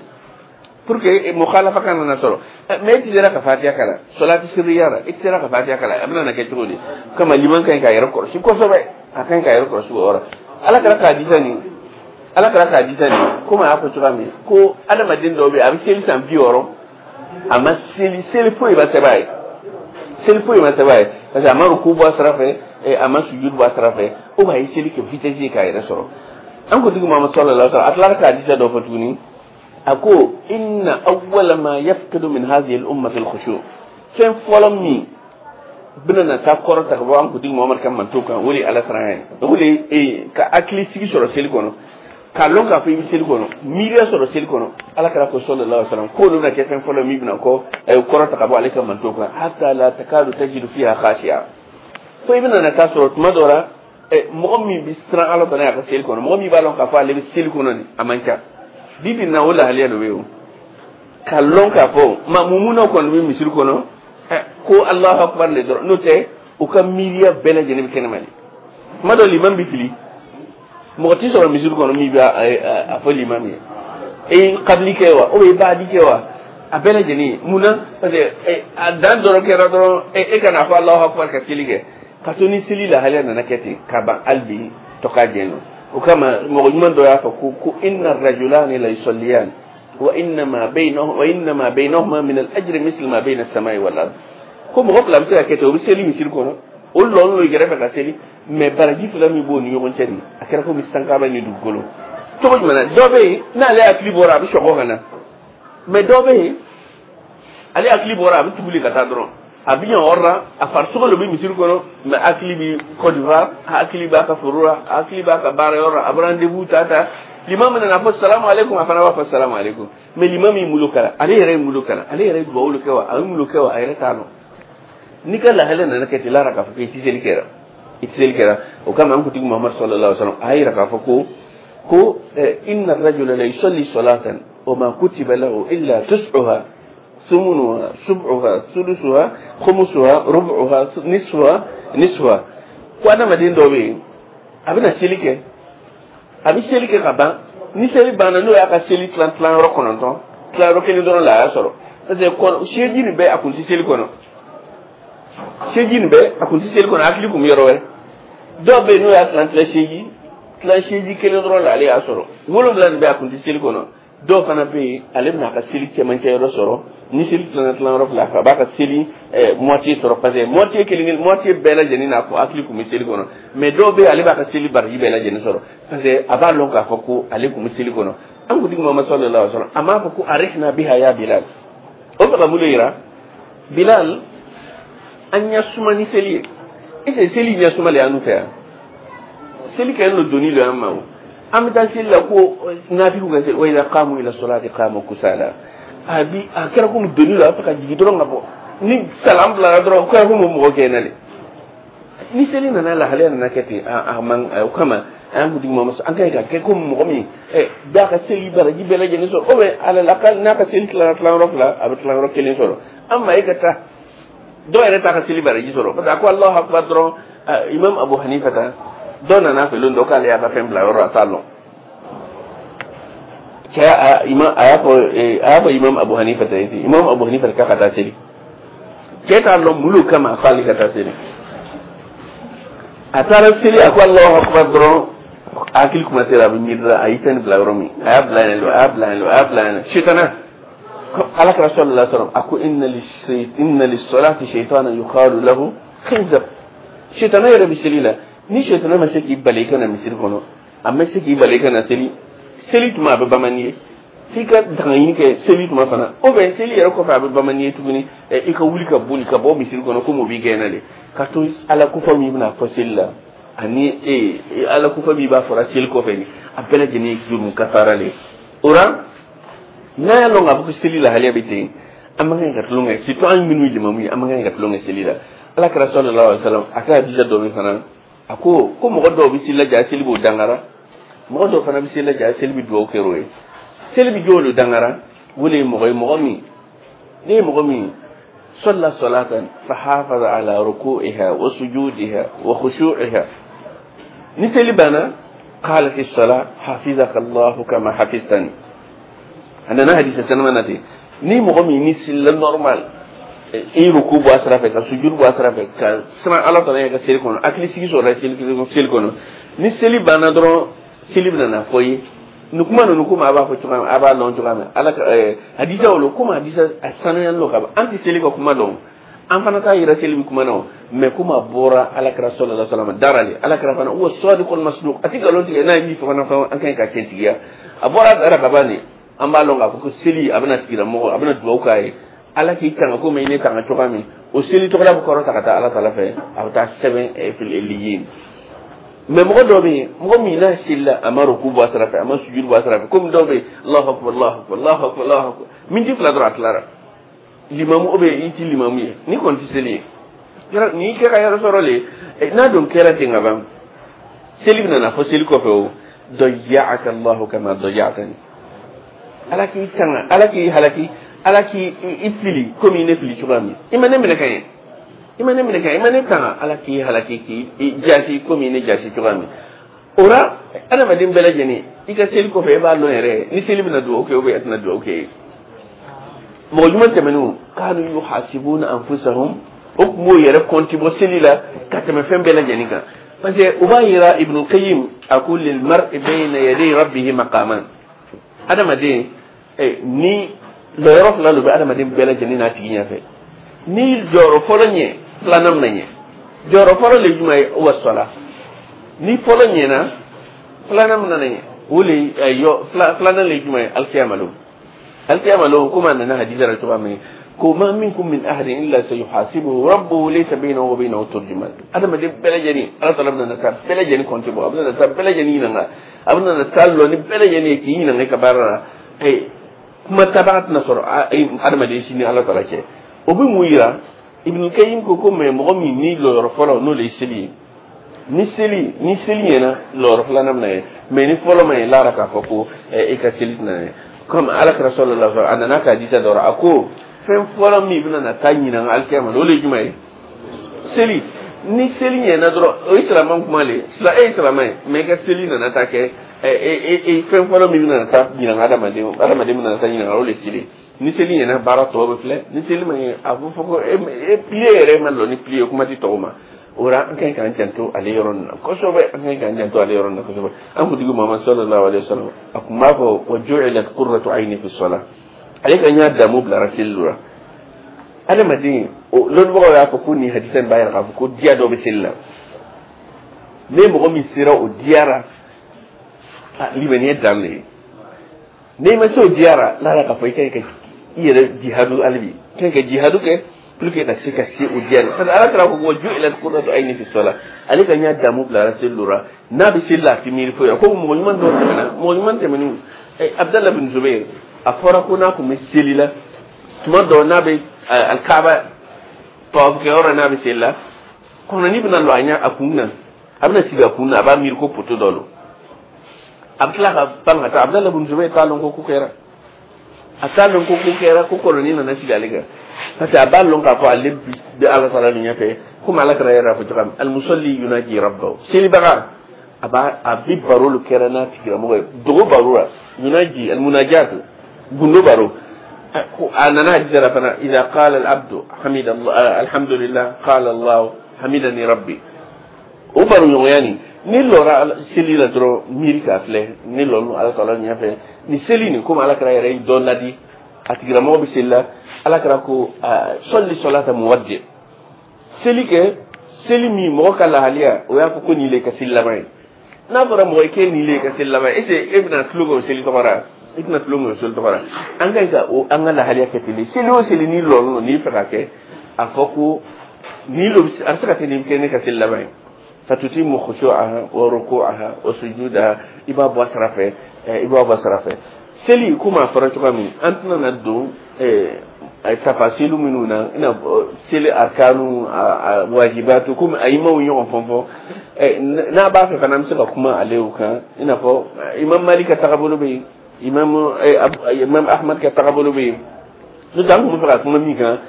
pour que mukhalafa kana na sɔrɔ. Mais e tɛ sera ka Fatiya kalan salati sirriya la, e tɛ sera ka Fatiya kalan, a bɛna na kɛ cogo di? Kama liman ka ɲi k'a yɛrɛ kɔlɔsi kosɛbɛ, a ka ɲi k'a yɛrɛ kɔlɔsi o yɔrɔ. Ala kɛra k'a disa nin, Ala kɛra k'a disa nin, komi a y'a fɔ cogoya min ko adamaden dɔw bɛ yen, a bɛ seli san 60, a ma seli, seli foyi ma sɛbɛn a ye, seli foyi ma sɛbɛn a ye, parce que a ma ruku bɔ a sira fɛ, a ma sujudu bɔ a sira fɛ, o b'a ye seli kɛ vitesse ye k'a yɛrɛ sɔrɔ. An kuntigi Muhamadu صلى الله عليه وسلم, a tilara k'a disa dɔ fɔ tuguni. A ko إن أول ما يفقد من هذه الأمة الخشوع. Fɛn fɔlɔ min bɛna na taa kɔrɔ ta ka bɔ an kuntigi Muhamadu ka manto kan, o de ye Ala siran ye, o de ye ka hakili sigi sɔrɔ seli kɔnɔ, k'a lɔn k'a fɔ i bɛ seli kɔnɔ, miiriya sɔrɔ seli kɔnɔ. Ala kɛra ko صلى الله عليه وسلم k'olu bɛna kɛ fɛn fɔlɔ min bɛna kɔ kɔrɔ ta ka bɔ ale ka manto kan, حتى لا تكاد تجد فيها خاشعا. Fo i bɛna na taa sɔrɔ tuma dɔ la, mɔgɔ min bɛ siran Ala tɔnɔ a ka seli kɔnɔ, mɔgɔ min b'a lɔn k'a fɔ ale bɛ seli kɔnɔ nin, a man ca. Bi bi in na, o lahaliya dɔ bɛ yen, o k'a lɔn k'a fɔ maa mumunaw kɔni bɛ misiri kɔnɔ ko الله أكبر le dɔrɔn, n'o tɛ u ka miiriya bɛɛ lajɛlen bɛ kɛnɛma de. Tuma dɔ liman bɛ fili, mɔgɔ tɛ sɔrɔ misiri kɔnɔ min bɛ a fɔ limam ye e kabili kɛ wa, ou bien i b'a di kɛ wa, a bɛɛ lajɛlen. Mun na? Parce que a dan dɔrɔn kɛra dɔrɔn e kana fɔ الله أكبر ka seli kɛ, ka to ni seli lahaliya nana kɛ ten ka ban, hali bi tɔ ka jɛ nɔ. O kama mɔgɔ ɲuman dɔ y'a fɔ ko إن الرجلان ليصليان وإنما بينهما من الأجر مثل ما بين السماء والأرض. Ko mɔgɔ fila bɛ se ka kɛ ten, o bɛ seli misiri kɔnɔ, o lɔn n'o kɛrɛfɛ ka seli, mais baraji fila min b'o ni ɲɔgɔn cɛ nin, a kɛra komi sankaba ni dugukolo. Cogo jumɛn na? Dɔ bɛ yen, n'ale hakili bɔra, a bɛ sɔgɔ ka na, mais dɔ bɛ yen, ale hakili bɔra, a bɛ tuguli ka taa dɔrɔn, a bɛ ɲɛ yɔrɔ la, a farisogo de bɛ misiri kɔnɔ, mais hakili bɛ Côte d'Ivoire, hakili b'a ka foro la, hakili b'a ka baara yɔrɔ la, a bɛ rendez-vous ta ta. Limam nana fɔ سلام عليكم, a fana b'a fɔ سلام عليكم, mais limam y'i bolo kala, ale yɛrɛ ye bolo kala, ale yɛrɛ ye duwawu kɛ wa, a ye bolo kɛ wa, a yɛrɛ t'a dɔn. N'i ka lahala nana kɛ ten, lara k'a fɔ k'i tɛ seli kɛra, i tɛ seli kɛra. O kama an kuntigi Muhamadu صلى الله عليه وسلم a y'a yira k'a fɔ ko إن الرجل ليصلي صلاة وما كتب له إلا تسعها، ثمنها، سبعها، ثلثها، خمسها، ربعها، نصفها، نصفها. Ko adamaden dɔ bɛ yen, a bɛna seli kɛ, a bɛ seli kɛ ka ban, ni seli banna, n'o y'a ka seli tilan tilan yɔrɔ 9, tilan yɔrɔ kelen dɔrɔn la a y'a sɔrɔ, parce que kɔnɔ seji nin bɛɛ, a kun tɛ seli kɔnɔ, seji nin bɛɛ, a kun tɛ seli kɔnɔ, hakili kun bɛ yɔrɔ wɛrɛ. Dɔw bɛ yen, n'o y'a tilan tilan seji, tilan seji kelen dɔrɔn la ale y'a sɔrɔ, 7 nin bɛɛ, a kun tɛ seli kɔnɔ. Dɔw fana bɛ yen, ale bɛna a ka seli cɛmancɛ yɔrɔ sɔrɔ. Ni seli tilanna tilan yɔrɔ fila, a b'a ka seli moitié sɔrɔ, parce que moitié kelen kelen, moitié bɛɛ lajɛlen n'a fɔ hakili kun bɛ seli kɔnɔ. Mais dɔw bɛ yen, ale b'a ka seli baraji bɛɛ lajɛlen sɔrɔ, parce que a b'a lɔn k'a fɔ ko ale kun bɛ seli kɔnɔ. An kuntigi Muhamadu صلى الله عليه وسلم, a m'a fɔ ko أرحنا بها يا بلال. O fɛ ka mun de yira? Bilal, an ɲɛ suma ni seli ye. Est ce que seli ɲɛ suma le y'an fɛ yan? Seli kɛ no doni lo an ma. O an bɛ taa seli la ko nafigiw ka se, wa idha qamu ila salati qamu kusala. A bi a kɛra komi doni lo, a bɛ fɛ ka jigin dɔrɔn ka bɔ. Ni salam bilara dɔrɔn, o kɛra komi mɔgɔ gɛnna le. Ni seli nana, lahalaya nana kɛ ten, a man o kama an kuntigi Mamadu, an ka ɲi ka kɛ komi mɔgɔ min b'a ka seli baraji bɛɛ lajɛlen sɔrɔ, ou bien alal n'a ka seli tilara tilayɔrɔ fila, a bɛ tilayɔrɔ kelen sɔrɔ. An ma e ka taa dɔw yɛrɛ t'a ka seli baraji sɔrɔ, parce que a ko Allahu akbar dɔrɔn. Imam Abu Hanifa ta dɔ nana fɛ lon dɔ k'ale y'a ka fɛn bila yɔrɔ, a t'a lɔn. Cɛ a imam a y'a fɔ imam Abu Hanifa ta ye, imam Abu Hanifa k'a ka taa seli. Cɛ t'a lɔn mun kama a k'ale ka taa seli. A taara seli, a ko Allahu akbar dɔrɔn, hakili kuma sera, a bɛ miiri la a y'i fɛn bila yɔrɔ min, a y'a bila yen, a y'a bila yen, a y'a bila yen. Sitana ala kɛra sallallahu alaihi wasallam, a ko inna lis-salati shaytanan yuqalu lahu khinzab. Sitana yɛrɛ bɛ seli la. Ni sitana ma se k'i bali i ka na misiri kɔnɔ, a ma se k'i bali i ka na seli, seli tuma a bɛ bamani ye f'i ka dangaɲini kɛ seli tuma fana, ou bien seli yɛrɛ kɔfɛ a bɛ bamani ye tuguni, i ka wuli ka boli ka bɔ misiri kɔnɔ komi o b'i gɛnna de. Ka to ala kofɔ min bɛna fɔ seli la, ani ala kofɔ min b'a fɔra seli kɔfɛ, ni a bɛɛ lajɛlen ye jurumu kafara le. O la, n'a y'a lɔn k'a fɔ ko seli lahaliya bɛ ten, an man kan ka tulon kɛ, surtout an minnu ye limamu ye, an man kan ka tulon kɛ seli la. Ala kɛra sallallahu alaihi wasallam, a ka hadisa dɔ min fana, a ko mɔgɔ dɔw bɛ seli la ja seli b'o dangara, mɔgɔ dɔw fana bɛ seli la ja seli bɛ dugawu kɛ o ye. Seli bɛ jɔw de dangara? O de ye mɔgɔ ye, mɔgɔ min ne ye mɔgɔ min صلى صلاة فحافظ على ركوعها وسجودها وخشوعها، ni seli banna، قالت الصلاة حفظك الله كما حفظتني. A nana hadisa sanama na ten. Ni mɔgɔ min ni selila normal, i ruku bɔ a sira fɛ, ka sujud bɔ a sira fɛ, ka siran Ala tala ye ka seli kɔnɔ, hakili sigi sɔrɔla seli kɔnɔ, ni seli banna dɔrɔn, seli bɛna na fɔ i ye nin kuma ninnu. Komi a b'a fɔ cogoya min, a b'a lɔn cogoya min, ala ka hadisa o komi hadisa a sanuyalen don ka ban, an tɛ seli ka kuma dɔn, an fana t'a yira seli bɛ kuma na o. Mais komi a bɔra ala kɛra sallallahu alaihi wasallam dara le, ala kɛra fana wa sadiqul masduq, a tɛ nkalon tigɛ. N'a ye min fɔ fana fɔ, an ka ɲi ka tiɲɛtigiya. A bɔra dara ka ban de, an b'a lɔn k'a fɔ ko seli a bɛna tigilamɔgɔ, a bɛna dugawu k'a ye, ala k'i tanga komi i ne tanga cogoya min. O seli tɔgɔla bɛ kɔrɔta ka taa ala tala fɛ, a bɛ taa sɛbɛn fil illiyin. Mais mɔgɔ dɔw bɛ yen, mɔgɔ min n'a selila, a ma ruku bɔ a sira fɛ, a ma sujud bɔ a sira fɛ, komi dɔw bɛ yen, Allahu akbar, Allahu akbar, Allahu akbar, Allahu akbar, miniti 2 dɔrɔn a tilara. Limamu o bɛ i ti limamu ye, ni kɔni ti seli ye n'i kɛ ka yɔrɔ sɔrɔ le, n'a dun kɛra ten ka ban, seli bɛna na fɔ seli kɔfɛ o ضيعك الله كما ضيعتني, ala k'i tanga, ala k'i halaki, ala k'i i fili komi i ne fili cogoya min. I ma ne minɛ ka ɲɛ, i ma ne minɛ ka ɲɛ, i ma ne tanga, ala k'i halaki, k'i jasi komi i ne jasi cogoya min. O la, adamaden bɛɛ lajɛlen, i ka seli kɔfɛ, i b'a lɔn yɛrɛ ni seli bɛna dugawu kɛ ou bien a tɛna dugawu kɛ. Mɔgɔ jumɛn tɛmɛnenw كانوا يحاسبون أنفسهم, o tun b'o yɛrɛ kɔnti bɔ seli la ka tɛmɛ fɛn bɛɛ lajɛlen kan, parce que u b'a yira. Ibn Qayyim a ko للمرء بين يدي ربه مقامان. Adamaden ni lɔyɔrɔ fila lo bɛ adamaden bɛɛ lajɛlen n'a tigi ɲɛfɛ. Ni jɔyɔrɔ fɔlɔ ɲɛ, filanan bɛna ɲɛ. Jɔyɔrɔ fɔlɔ le jumɛn ye? Wa sɔla. Ni fɔlɔ ɲɛna, filanan bɛna ɲɛ. O le yɔ filanan le jumɛn ye? Alikiyama lon, alikiyama lon, komi a nana hadisa la cogoya min ko ما منكم من أحد إلا سيحاسبه ربه ليس بينه وبينه ترجمان. Adamaden bɛɛ lajɛlen, ala tala bɛna na taa bɛɛ lajɛlen kɔnti bɔ, a bɛna na taa bɛɛ lajɛlen ɲininka, a bɛna na taa lɔ ni bɛɛ lajɛlen ye k'i ɲininka i ka baara la. Kuma tabaga tɛna sɔrɔ adamaden si ni ala tala cɛ. O bɛ mun yira? Ibn Qayyim ko mais mɔgɔ min ni lɔyɔrɔ fɔlɔ n'o de ye seli ye, ni seli ɲɛna, lɔyɔrɔ filanan bɛna ye. Mais ni fɔlɔ ma ɲɛ, lara k'a fɔ ko e ka seli tɛna ɲɛ. Comme ala kɛra sallallahu alaihi wasallam, a nana ka hadisa dɔ a ko fɛn fɔlɔ min bɛna na taa ɲininka alikiyama, o de ye jumɛn ye? Seli. Ni seli ɲɛna dɔrɔn, o ye silamɛ kuma le. E ye silamɛ ye, mais i ka seli nana taa kɛ fɛn fɔlɔ min bɛna taa ɲininka adamaden bɛna taa ɲininka, o de ye seli. Ni seli ɲɛna, baara tɔ bɛ filɛ. Ni seli ma ɲɛ, a bɛ fɔ ko e pilier yɛrɛ ma lɔ ni pilier, kuma tɛ tɔw ma. O la, an ka ɲi k'an janto ale yɔrɔ nin na kosɛbɛ, an ka ɲi k'an janto ale yɔrɔ nin na kosɛbɛ. An kuntigi Muhammad sallallahu alaihi wasallam, a tun b'a fɔ وجعلت قرة عيني في الصلاة. Ale ka ɲa damu bilara seli la. Adamaden o lɔnnibagaw y'a fɔ ko nin hadisa in b'a yira k'a fɔ ko diya dɔ bɛ seli la. Ne mɔgɔ min sera o diyara, limaniya dan de ye. N'i ma se o diyara, lara k'a fɔ i ka ɲi ka i yɛrɛ jihadu hali bi, i ka ɲi ka jihadu kɛ. Pour que ka se ka se o diya, parce que Ala kɛra ko وجعلت قرة عيني في الصلاة. Ale ka ɲa damu bilara seli dɔ la, n'a bɛ seli la, a ti miiri foyi la. Ko mɔgɔ ɲuman dɔw tɛmɛna, mɔgɔ ɲuman tɛmɛnen, Abdallah bin Zubair, a fɔra ko n'a tun bɛ seli la, tuma dɔ n'a bɛ Alikaaba tawafukɛyɔrɔ, n'a bɛ seli la, kɔnɔni bɛna lɔ a ɲɛ a kun na, a bɛna sigi a kun na, a b'a miiri ko poto dɔ lo, a bɛ tila ka pan ka taa. Abdallah bin Zubair t'a lɔn ko ko kɛra, a t'a lɔn ko ko kɛra, ko kɔnɔni nana sigi ale kan, parce que a b'a lɔn k'a fɔ ale bɛ Ala taala nin ɲɛfɛ. Komi Ala kɛra yɛrɛ fɔ cogoya min, المصلي يناجي ربه, selibaga a b'a a bi baro lo kɛra n'a tigilamɔgɔ ye, dogo baro la, يناجي المناجاة, gundo baro. A nana hadisa la fana, إذا قال العبد حمد الله الحمد لله قال الله حمدني ربي. O baro ɲɔgɔnya nin, ni lɔra seli la dɔrɔn, miiri k'a filɛ ni lɔlu Ala taala ɲɛfɛ ni seli nin. Komi Ala kɛra yɛrɛ ye dɔ ladi, a tigilamɔgɔ bɛ seli la, Ala kɛra ko صل صلاة مودع, seli kɛ seli min mɔgɔ ka lahaliya o y'a fɔ ko nin le ka seli laban ye. N'a fɔra mɔgɔ ye k'e nin le ka seli laban ye, est ce que e bɛna tulon kɛ o seli tɔgɔ la? I tɛna tulon kɛ o seli tɔgɔ la. An ka ɲi ka o an ka lahaliya kɛ ten de. Seli o seli n'i lɔlen don, n'i fɛ ka kɛ, a fɔ ko nin lo, a bɛ se ka kɛ nin kɛ ne ka seli laban ye. فتتم خشوعها وركوعها وسجودها. I b'a bɔ a sira fɛ, i b'a bɔ a sira fɛ. Seli, komi a fɔra cogoya min, an tɛna na don tafasilu minnu na, i n'a fɔ seli arkanu, a wajibatu, komi a imaw ɲɔgɔn fɔn fɔ. N'a b'a fɛ fana, an bɛ se ka kuma ale kan, i n'a fɔ Imam Malik ka tagabolo bɛ yen, Imam Ahmad ka tagabolo bɛ yen. N'o tɛ, an tun bɛ fɛ ka kuma min kan,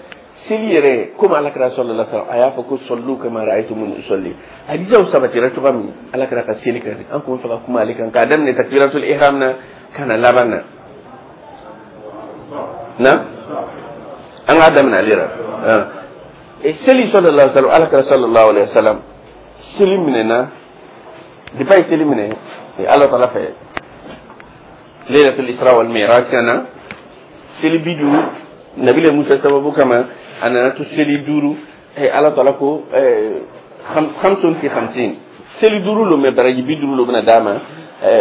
seli yɛrɛ, komi Ala kɛra صلى الله عليه وسلم a y'a fɔ ko صلوا كما رأيتموني أصلي, hadisaw sabatira cogoya min Ala kɛra ka seli kɛ, an tun bɛ fɛ ka kuma ale kan, k'a daminɛ تكبيرة الإحرام na ka na laban na. Na an k'a daminɛ ale la seli. صلى الله عليه وسلم, Ala kɛra صلى الله عليه وسلم seli minɛna depuis a ye seli minɛ Ala taala fɛ ليلة الإسراء والمعراج, ka na seli 50 Nabila Musa sababu kama, a nana to seli 5. Ala taala ko خمس في 50, seli 5 lo, mɛ baraji 50 lo bɛna d'a ma.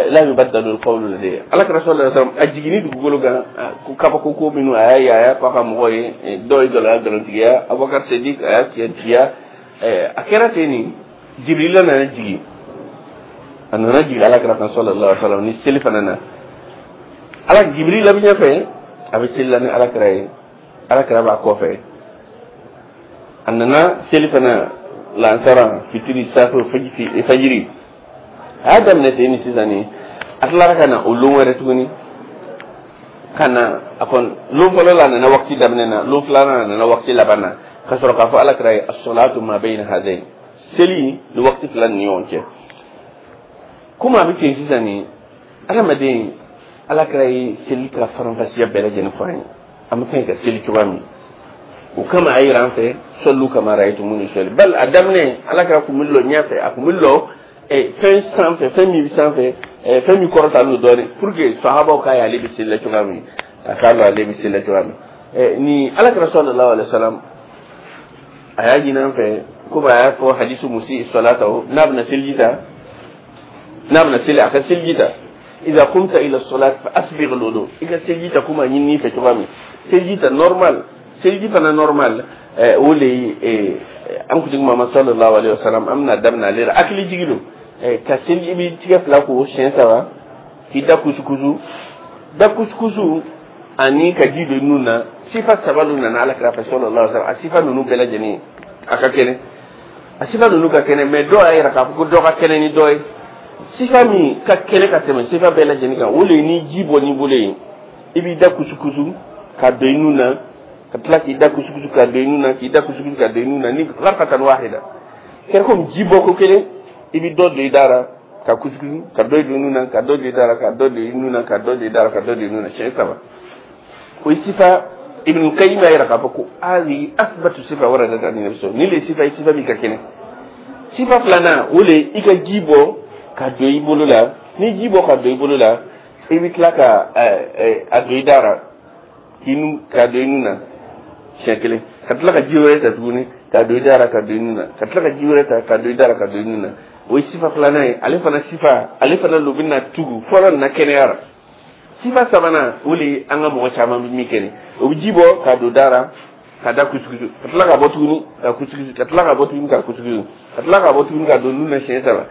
لا يبدل القول لدي. Ala kɛra صلى الله عليه وسلم a jiginni dugukolo kan, ko kabako ko minnu a y'a ye, a y'a fɔ a ka mɔgɔw ye, dɔw ye gɛlɛya nkalontigiya, Abubakar Sadiq a y'a tiɲɛtigiya. A kɛra ten nin, Jibrila nana jigin, a nana jigin Ala kɛra kan صلى الله عليه وسلم ni seli fana na. Ala Jibrila bɛ ɲɛfɛ, a bɛ seli la ni Ala kɛra ye, Ala kɛra b'a kɔfɛ. A nana seli fana lansara, fitiri, safo, fajiri, a y'a daminɛ ten. Ni sisan ni a tilara ka na o lon wɛrɛ tuguni ka na, a kɔni lon fɔlɔ la, a nana waati daminɛ na, lon filanan a nana waati laban na, ka sɔrɔ k'a fɔ Ala kɛra ye الصلاة ما بين هذين, seli ni waati fila ni ɲɔgɔn cɛ. Komi a bɛ ten sisan ni adamaden, Ala kɛra ye seli ka faranfasiya bɛɛ lajɛlen fɔ an ye, an bɛ kan ka seli cogoya min, o kama a yira an fɛ صلوا كما رأيتموني أصلي. Bal a daminɛ, Ala kɛra kun bɛ lɔ ɲɛfɛ, a kun bɛ lɔ fɛn sanfɛ, fɛn min bɛ sanfɛ, fɛn min kɔrɔtalen don dɔɔnin, pour que sahabaw k'a ye ale bɛ seli la cogoya min, a k'a lɔn ale bɛ seli la cogoya min. Ni Ala kɛra صلى الله عليه وسلم a y'a ɲini an fɛ, komi a y'a fɔ hadisu المسيء صلاته, n'a bɛna seliji ta, n'a bɛna seli, a ka seliji ta, إذا قمت إلى الصلاة فأسبغ الوضوء, i ka seliji ta komi a ɲini fɛ cogoya min, seliji ta normal, seliji fana normal. O le ye an kuntigi Muhammad صلى الله عليه وسلم, an bɛna daminɛ ale la. Hakili jigi don ka seli, i b'i tigɛ fila ko siɲɛ saba, k'i da kusukusu, da kusukusu ani ka ji don nun na. Sifa saba dɔ nana Ala kira fɛ صلى الله عليه وسلم. A sifa ninnu bɛɛ lajɛlen a ka kɛnɛ, a sifa ninnu ka kɛnɛ, mɛ dɔw y'a yira k'a fɔ ko dɔ ka kɛnɛ ni dɔ ye. Sifa min ka kɛnɛ ka tɛmɛ sifa bɛɛ lajɛlen kan, o le ye ni ji bɔ n'i bolo ye, i b'i da kusukusu ka don i nun na, ka tila k'i da kusukusu ka don i nun na, k'i da kusukusu ka don i nun na ni غرفة واحدة. Kɛra komi ji bɔ ko kelen, i bɛ dɔ don i da la ka kusukusu, ka dɔ don i nun na, ka dɔ don i da la, ka dɔ don i nun na, ka dɔ don i da la, ka dɔ don i nun na, siɲɛ saba. O ye sifa. Ibn Qayyim y'a yira k'a fɔ ko هذه أثبت صفة وردت عن النبي صلى ni le sifa ye, sifa min ka kɛnɛ. Sifa filanan, o le i ka ji bɔ ka don i bolo la. Ni ji bɔ ka don i bolo la, i bɛ tila ka a don i da la, k'i nun, ka don i nun na siɲɛ kelen, ka tila ka ji wɛrɛ ta tuguni ka don i da la, ka don i nun na, ka tila ka ji wɛrɛ ta ka don i da la, ka don i nun na. O ye sifa filanan ye. Ale fana sifa, ale fana lo bɛna tugu fɔlɔ na kɛnɛya la. Sifa sabanan, o le ye an ka mɔgɔ caman bɛ min kɛ nin, o bɛ ji bɔ ka don da la. ka da kusukusu, ka tila ka bɔ tuguni ka kusukusu, ka tila ka bɔ tuguni ka kusukusu, ka tila ka bɔ tuguni ka don nun na siɲɛ saba.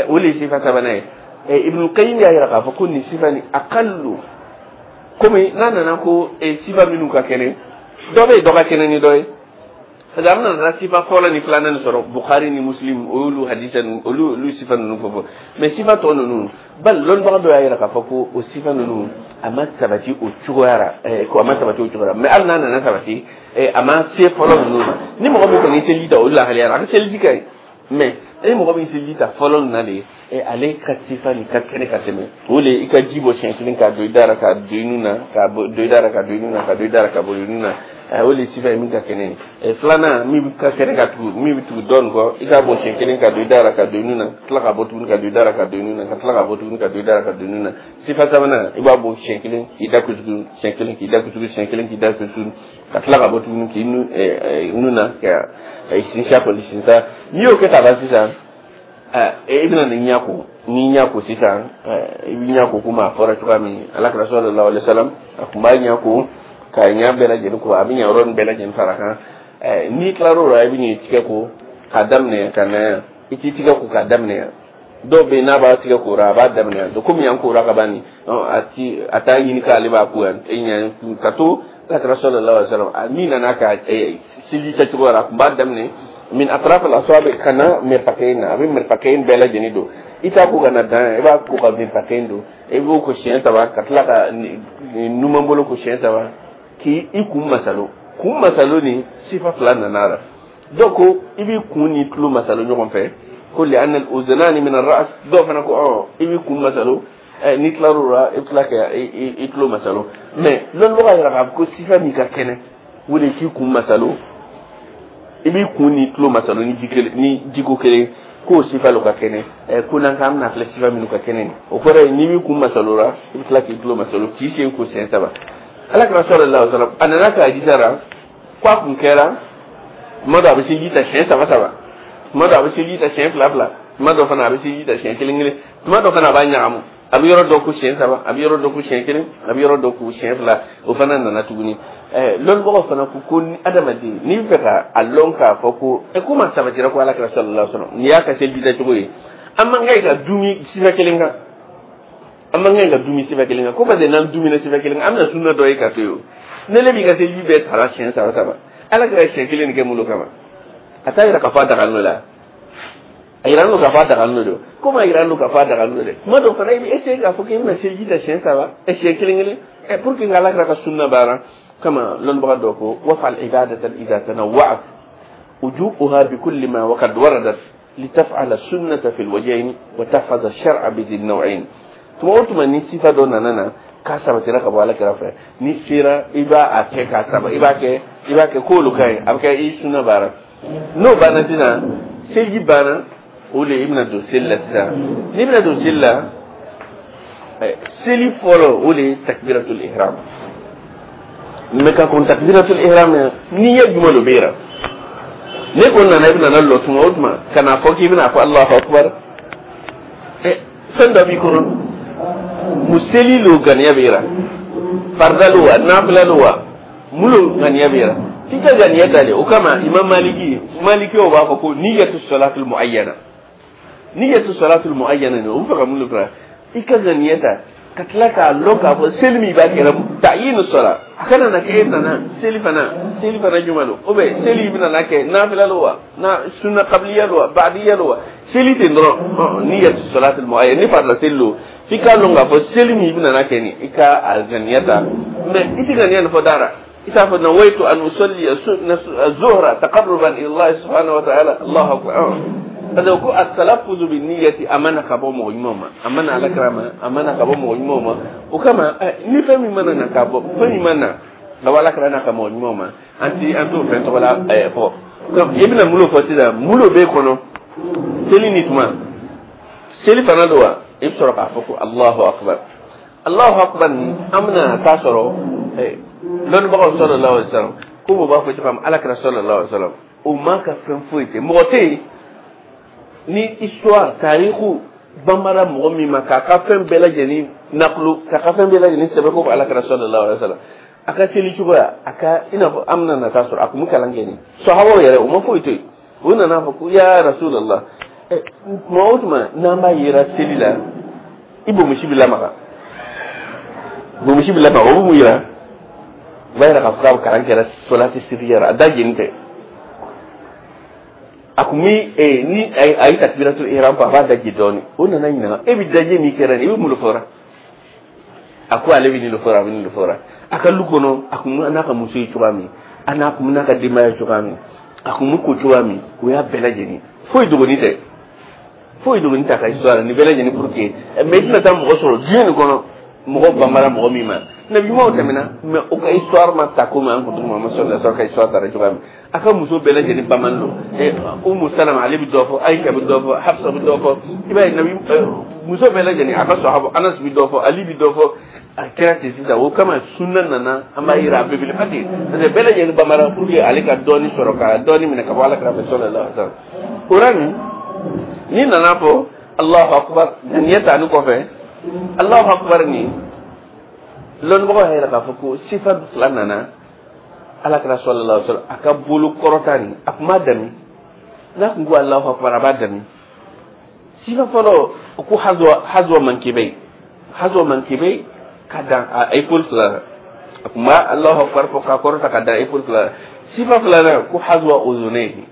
O le ye sifa sabanan ye. Ibn Qayyim y'a yira k'a fɔ ko nin sifa nin aqallu, komi n'a nana ko sifa minnu ka kɛnɛ, dɔ bɛ yen dɔ ka kɛnɛ ni dɔ ye, parce que an nana sifa fɔlɔ ni filanan nin sɔrɔ Bukhari ni Muslim, o y'olu hadisa ninnu, olu sifa ninnu fɔ, mais sifa tɔ ninnu bali, lɔnnibaga dɔ y'a yira k'a fɔ ko o sifa ninnu a ma sabati o cogoya la, ko a ma sabati o cogoya la. Mais hali n'a nana sabati, a ma se fɔlɔ ninnu ma. Ni mɔgɔ min kɔni ye seliji ta o lahalaya la, a ka seliji ka ɲi, mais ni mɔgɔ min seliji ta fɔlɔ nin na de, ale ka sifa nin ka kɛnɛ ka tɛmɛ. O le i ka ji bɔ siɲɛ kelen k'a don i da la, k'a don i nun na, k'a don i da la, ka don i nun na, ka don i da la, ka bɔ i nun na, o le sifa ye min ka kɛnɛ ye. Filanan min ka kɛnɛ ka tugu, min bɛ tugu dɔ nin kɔ, i k'a bɔ siɲɛ kelen ka don i da la, ka don i nun na, ka tila ka bɔ tuguni ka don i da la, ka don i nun na, ka tila ka bɔ tuguni ka don i da la, ka don i nun na. Sifa sabanan, i b'a bɔ siɲɛ kelen k'i da kusugu, siɲɛ kelen k'i da kusugu, siɲɛ kelen k'i da kusugu, ka tila ka bɔ tuguni k'i nun na, ka sinsin kɔni sinsin. N'i y'o kɛ ka ban sisan, i bɛna nin ɲɛ ko, n'i ɲɛ ko sisan, i b'i ɲɛ ko komi a fɔra cogoya min Ala kira sallallahu alaihi wasallam a tun b'a ɲɛ ko k'a ɲɛ bɛɛ lajɛlen ko, a bɛ ɲɛ yɔrɔ nin bɛɛ lajɛlen fara kan. N'i tilar'o la, i bɛ n'i tigɛ ko k'a daminɛ ka na yan. I t'i tigɛ ko k'a daminɛ yan. Dɔw bɛ yen, n'a b'a tigɛ kora, a b'a daminɛ yan. Komi yan kora ka ban nin, a ti a t'a ɲini k'ale b'a ko yan ka to. Ala kira sallallahu alaihi wasallam, min nana ka seliji kɛcogo la, a tun b'a daminɛ min atraf al asabi ka na mirfaqain na, a bɛ mirfaqain bɛɛ lajɛlen don. I t'a ko ka na dan yan, i b'a ko ka mirfaqain don. I b'o ko siɲɛ saba, ka tila ka numan bolo ko siɲɛ saba, k'i i kun masalo. Kun masalo ni sifa fila nana a la. Dɔw ko i b'i kun ni tulo masalo ɲɔgɔn fɛ, ko li anna al uzunani min ar-ra's. Dɔw fana ko i b'i kun masalo, n'i tilar'o la, i bɛ tila ka i tulo masalo. Mais lɔnnibaga yɛrɛ k'a fɔ ko sifa min ka kɛnɛ, o de k'i kun masalo, i b'i kun ni tulo masalo ni ji kelen, ni jiko kelen, k'o sifa lo ka kɛnɛ. Ko n'an k'an bɛna filɛ sifa minnu ka kɛnɛ, o kɔrɔ ye n'i b'i kun masalo la, i bɛ tila k'i tulo masalo, k'i sen ko siɲɛ saba. Ala kira sallallahu alaihi wasallam, a nana k'a jija la ko a kun kɛra tuma dɔ a bɛ seliji ta siɲɛ saba saba, tuma dɔ a bɛ seliji ta siɲɛ fila fila, tuma dɔ fana a bɛ seliji ta siɲɛ kelen kelen, tuma dɔ fana a b'a ɲagamu, a bɛ yɔrɔ dɔ ko siɲɛ saba, a bɛ yɔrɔ dɔ ko siɲɛ kelen, a bɛ yɔrɔ dɔ ko siɲɛ fila. O fana nana tuguni. Lɔnnibagaw fana ko ko ni adamaden n'i bɛ fɛ ka a lɔn k'a fɔ ko komi a sabatira ko Ala kira sallallahu alaihi wasallam nin y'a ka seliji tacogo ye, an man kan ka dumi sifa kelen kan, an man kan ka dumi sifa kelen kan, ko parce que n'an dumina sifa kelen kan, an bɛna sunna dɔ ye ka to yen. O ne le b'i ka seliji bɛɛ tara siɲɛ saba saba, Ala kira siɲɛ kelen nin kɛ mun kama? A t'a yira k'a fɔ a daga la, a yira n'o k'a fɔ a daga n'o don. Komi a yira n'o k'a fɔ a daga n'o dɛ, tuma dɔ fana i bɛ essayer k'a fɔ k'i bɛna seliji ta siɲɛ saba, siɲɛ kelen kelen, pour que Ala kira ka sunna baara kama. Lɔnnibaga dɔ ko wafal ibadatan idha tanawwa'at wujuhuha bi kulli ma waqad waradat litaf'ala sunnata fil wajhayn wa tahfaza shar'a bi dhi naw'ayn. Tuma o tuma ni sifa dɔ nana na k'a sabatira ka bɔ Ala kira fɛ, ni sera i b'a a kɛ k'a saba, i b'a kɛ k'olu ka ɲi, a bɛ kɛ i sunna baara. N'o banna sisan, seliji banna, o de i bɛna don seli la sisan. N'i bɛna don seli la, seli fɔlɔ, o de ye takbiratul ihram. Mais ka kɔn takbiratul ihram n'i ye jumɛn dɔ bɛ yira, ne ko nana i bɛna na lɔ tuma o tuma ka n'a fɔ k'i bɛna fɔ Allahu akbar, fɛn dɔ b'i kɔnɔ mu seli lo ganiya bɛ yira, farida lo wa, nafila lo wa, mun lo ganiya bɛ yira, f'i ka ganiya ta de. O kama Imam Maliki, Malikiw b'a fɔ ko niyatu salatul muayyana, niyatu salatul muayyana nin, o bɛ fɛ ka mun de fara i ka ganiya ta, ka tila k'a lɔn k'a fɔ seli min b'a kɛra ta'yinu sala, a kana na kɛ e nana seli fana juma don, ou bien seli bɛna na kɛ nafila lo wa, na sunna qabliya lo wa, ba'diya lo wa, seli ten dɔrɔn. Niyatu salatul muayyana, ni farila seli lo, f'i k'a lɔn k'a fɔ seli min bɛna na kɛ nin, i ka a ganiya ta. Mais i tɛ ganiya nin fɔ da la, i t'a fɔ nawaitu an usalli zuhra taqarruban ila Allah subhanahu wa ta'ala, Allahu akbar, parce que ko at-talaffuzu bi niyyati a mana ka bɔ mɔgɔ ɲumanw ma, a mana Ala kira ma, a mana ka bɔ mɔgɔ ɲumanw ma. O kama ni fɛn min mana na ka bɔ, fɛn min mana ka bɔ Ala kira n'a ka mɔgɔ ɲumanw ma, an ti an t'o fɛn tɔgɔ la fɔ. I bɛna mun fɔ sisan? Mun b'e kɔnɔ seli ni tuma seli fana don wa, i bɛ sɔrɔ k'a fɔ ko Allahu akbar. Allahu akbar ni an bɛna taa sɔrɔ lɔnnibagaw sallallahu alaihi wasallam ko o b'a fɔ cogo min, Ala kira sallallahu alaihi wasallam o man ka fɛn foyi tɛ mɔgɔ tɛ yen ni histoire tariku banbara mɔgɔ min ma k'a ka fɛn bɛɛ lajɛlen nakulu, k'a ka fɛn bɛɛ lajɛlen sɛbɛn ko Ala kira sallallahu alaihi wasallam. A ka seli cogoya, a ka i n'a fɔ an bɛna nata sɔrɔ, a kun bɛ kalan kɛ nin sahabaw yɛrɛ, u ma foyi to yen. U nana fɔ ko: ya Rasulallah, tuma o tuma n'an b'a yera seli la, i bonbonsi bɛ lamaga, bonbonsi bɛ lamaga. O bɛ mun yira? O b'a yira k'a fɔ k'a kalan kɛra solati siriya la, a da jeni tɛ. A kun bɛ ni a ye takbiratul ihram fɔ, a b'a daji dɔɔnin. O nana ɲininka: e bɛ daji min kɛra nin, i bɛ mun de fɔra? A ko ale bɛ nin de fɔra, a bɛ nin de fɔra. A ka lu kɔnɔ, a kun n'a ka muso ye cogoya min, a n'a kun n'a ka denbaya ye cogoya min, a kun bɛ ko cogoya min, o y'a bɛɛ lajɛlen. Foyi dogoni tɛ, foyi dogoni tɛ a ka histoire nin bɛɛ lajɛlen pour que. Mais i tɛna taa mɔgɔ sɔrɔ diɲɛ nin kɔnɔ, mɔgɔ banbara mɔgɔ min ma. Nabi ɲumanw tɛmɛna, mais o ka histoire ma ta komi an kuntigi Muhamadu sallallahu alaihi wasallam ka histoire taara cogoya min. A ka muso bɛɛ lajɛlen bamanan don. Umu Salama, ale bɛ dɔ fɔ, Ayisa bɛ dɔ fɔ, Hafsa bɛ dɔ fɔ. I b'a ye, nabi muso bɛɛ lajɛlen, a ka sahaba Anas bɛ dɔ fɔ, Ali bɛ dɔ fɔ. A kɛra ten sisan. O kama sunna nana, an b'a yira a belebeleba ten, parce que bɛɛ lajɛlen bamanan pour que ale ka dɔɔni sɔrɔ, ka dɔɔni minɛ ka bɔ Ala kira fɛ sallallahu alaihi wasallam. O la nin, n'i nana fɔ Allahu akbar, ŋaniya ta ni kɔfɛ Allahu akbar nin, lɔnnibagaw y'a yira k'a fɔ ko sifa fila nana. Ala kira sallallahu alaihi wasallam, a ka bolo kɔrɔta nin, a kun b'a dami. N'a kun ko Allahu akbar, a b'a dami. Sifa fɔlɔ, o ko hazwa mankibɛ, hazwa mankibɛ, ka dan a épaule fila la. A kun b'a Allahu akbar fɔ k'a kɔrɔta ka dan épaule fila la. Sifa filanan ko hazwa uzunayhi,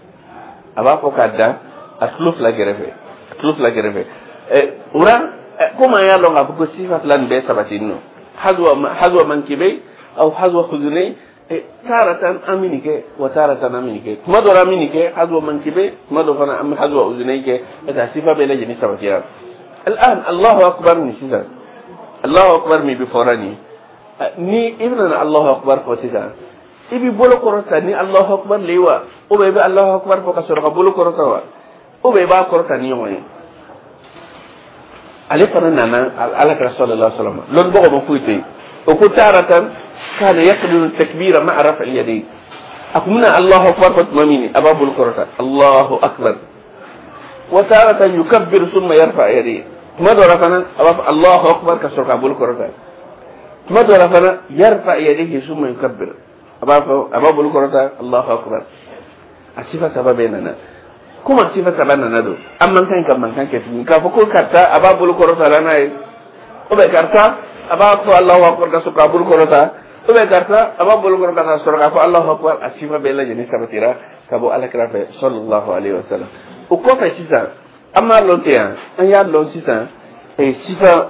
a b'a fɔ k'a dan a tulo fila kɛrɛfɛ, a tulo fila kɛrɛfɛ. O la, komi an y'a lɔn k'a fɔ ko sifa fila nin bɛɛ sabati nɔ, hazwa mankibɛ aw hazwa uzunayhi, taratan an bɛ nin kɛ wa taratan an bɛ nin kɛ. Tuma dɔ la an bɛ nin kɛ hazwa mankibɛ, tuma dɔ fana an bɛ hazwa uzunayhi kɛ, parce que a sifa bɛɛ lajɛlen sabatira. Al'an Allahu akbar nin sisan, Allahu akbar min bɛ fɔra nin, ni i bɛna Allahu akbar fɔ sisan, i b'i bolo kɔrɔta ni Allahu akbar le wa, ou bien i bɛ Allahu akbar fɔ ka sɔrɔ ka bolo kɔrɔta wa, ou bien i b'a kɔrɔta ni ɲɔgɔn ye? Ale fana nana Ala kira sallallahu alaihi wasallam, lɔnnibagaw ma foyi to yen. O ko taratan kana yaqdiru takbira ma'a raf'i yadayhi, a kun bɛna Allahu akbar fɔ tuma min, a b'a bolo kɔrɔta Allahu akbar. Wa taratan yukabbiru thumma yarfa yadayhi, tuma dɔ la fana a b'a fɔ Allahu akbar ka sɔrɔ k'a bolo kɔrɔta. Tuma dɔ la fana yarfa yadayhi thumma yukabbir, a b'a fɔ, a b'a bolo kɔrɔta Allahu akbar. A sifa saba bɛɛ nana. Komi a sifa saba nana don, an man kan ka mankan kɛ tuguni k'a fɔ ko karisa a b'a bolo kɔrɔta la n'a ye, ou bien karisa a b'a fɔ Allahu akbar ka sɔrɔ k'a bolo kɔrɔta, ou bien karisa a b'a bolo kɔrɔta ka sɔrɔ k'a fɔ Allahu akbar. A sifa bɛɛ lajɛlen sabatira ka bɔ Ala kira fɛ sallallahu alaihi wasallam. O kɔfɛ sisan, an b'a lɔn ten yan, an y'a lɔn sisan sisan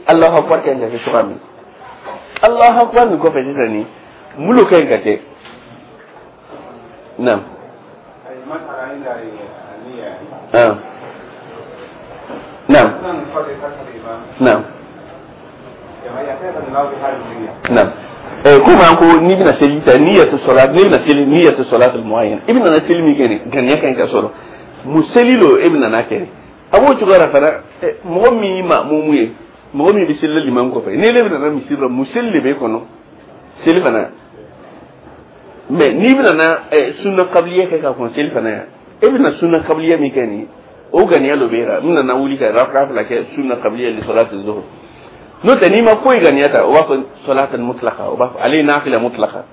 Allahu akbar ka ɲi ka kɛ cogoya min. Allahu akbar nin kɔfɛ sisan, nin mun ka ɲi ka kɛ? Naam. Ah. Naam. Naam. Naam. Komi an ko n'i bɛna seli ta niyatu salat, n'i bɛna seli niyatu salat muayyan, i bɛna seli min kɛ nin, ŋaniya ka ɲi ka sɔrɔ mun seli lo e bɛna n'a kɛ. A b'o cogoya la fana, mɔgɔ min ye maamumu ye, mɔgɔ min bɛ seli la limam kɔfɛ, ni ne bɛna na misiri la, mun seli de b'e kɔnɔ seli fana? Mais n'i bɛna na sunna kabiliya kɛ ka kɔn seli fana yan, e bɛna sunna kabiliya min kɛ nin, o ŋaniya dɔ b'e la: n bɛna wuli ka raka fila kɛ sunna kabiliya li salati zuhur. N'o tɛ, n'i ma foyi ŋaniya ta, o b'a fɔ salatan mutlaka, o b'a fɔ ale ye nafila mutlaka.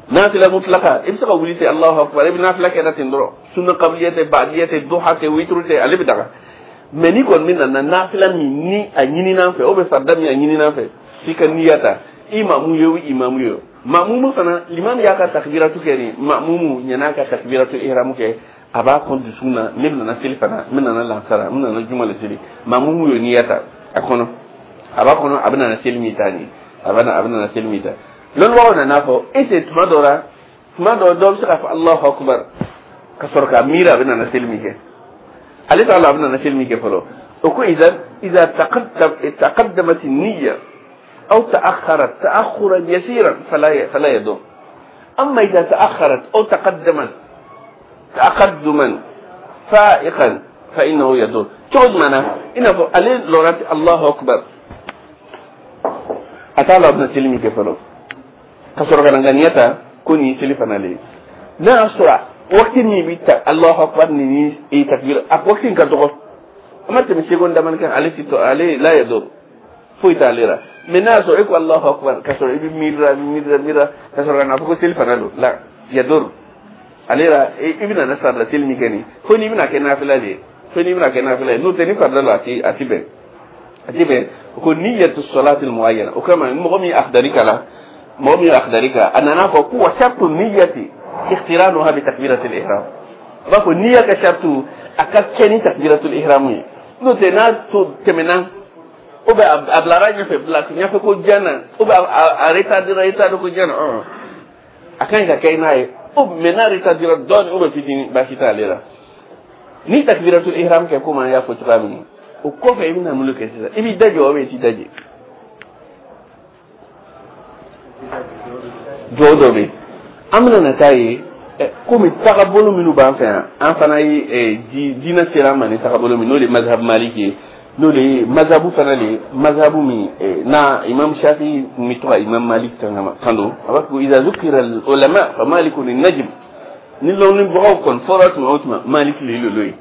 Nafila mutlaka, i bɛ se ka wuli ten, Allahu akbar, i bɛ nafila kɛ na ten dɔrɔn. Sunna kabiliya tɛ, ba'diya tɛ, duha tɛ, witru tɛ, ale bɛ daga. Mais n'i kɔni bɛ na nafila min ni a ɲinin'an fɛ, o bɛ farida min a ɲinin'an fɛ, f'i ka niya ta. I maamu ye o, imamu ye o, maamumu fana, limam y'a ka takbiratu kɛ nin, maamumu ɲan'a ka takbiratu ihramu kɛ, a b'a kɔn dusukun na: ne bɛna seli fana, n bɛna lansara, n bɛna juma le seli. Maamumu y'o niya ta a kɔnɔ, a b'a kɔnɔ a bɛna seli min ta nin, a bɛna seli min ta. Lɔnnibagaw nana fɔ est ce tuma dɔ la, tuma dɔ, dɔ bɛ se k'a fɔ Allahu akbar ka sɔrɔ k'a miiri a bɛna seli min kɛ? Ale t'a la a bɛna seli min kɛ fɔlɔ. O ko iza taqaddamat niyya aw ta'akhkharat ta'akhuran yasiran fala yadur, amma idha ta'akhkharat aw taqaddamat taqadduman fa'iqan fa innahu yadur. Cogo jumɛn na? I n'a fɔ ale lɔra ten Allahu akbar, a t'a la a bɛna seli min kɛ fɔlɔ, ka sɔrɔ ka na ŋaniya ta ko nin ye seli fana le ye. N'a y'a sɔrɔ waati min bɛ ta Allahu akbar ni takbir, a waati in ka dɔgɔ, a ma tɛmɛ seconde damani kan, ale ti tɔ, ale la yadur. Foyi t'ale la. Mais n'a y'a sɔrɔ e ko Allahu akbar ka sɔrɔ i bɛ miirira miirira miirira ka sɔrɔ ka na fɔ ko seli fana don la yadur ale la, i bɛna na farida seli min kɛ nin, fo n'i bɛna kɛ nafila de ye, fo n'i bɛna kɛ nafila ye. N'o tɛ, ni farida la, a ti bɛn, a ti bɛn. Ko niyatu salati muayyana. O kama, mɔgɔ min ye akhdari kalan, mɔgɔ min ye akhdari kalan, a nana fɔ ko wa shartu niyati ikhtiranuha bi takbirati al-ihram. A b'a fɔ niyya ka shartu a ka kɛ ni takbiratul ihram ye. N'o tɛ, n'a to tɛmɛna ou bien a bilara ɲɛfɛ, bila ɲɛfɛ ko jan na, ou bien a retardera, retard ko jan na, a ka ɲi ka kɛ n'a ye o. Mais n'a retardera dɔɔni ou bien fitinin, baasi t'ale la. Ni takbiratul ihram kɛ, komi an y'a fɔ cogoya min, o kɔfɛ i bɛna mun de kɛ sisan? I b'i da jɔ ou bien i t'i da jɔ? Jɔ dɔ bɛ yen, an bɛna na taa ye. Komi tagabolo minnu b'an fɛ yan, an fana ye diinɛ sera an ma ni tagabolo min, n'o de ye mazhabu maliki ye, n'o de ye mazhabu fana de ye, mazhabu min na imam Shafi tun bɛ to ka imam Malik kan don. A b'a fɔ ko iza zukira ulama fa malikun najm. Ni lɔnnibagaw kɔni fɔra tuma o tuma, Malik le lolo ye.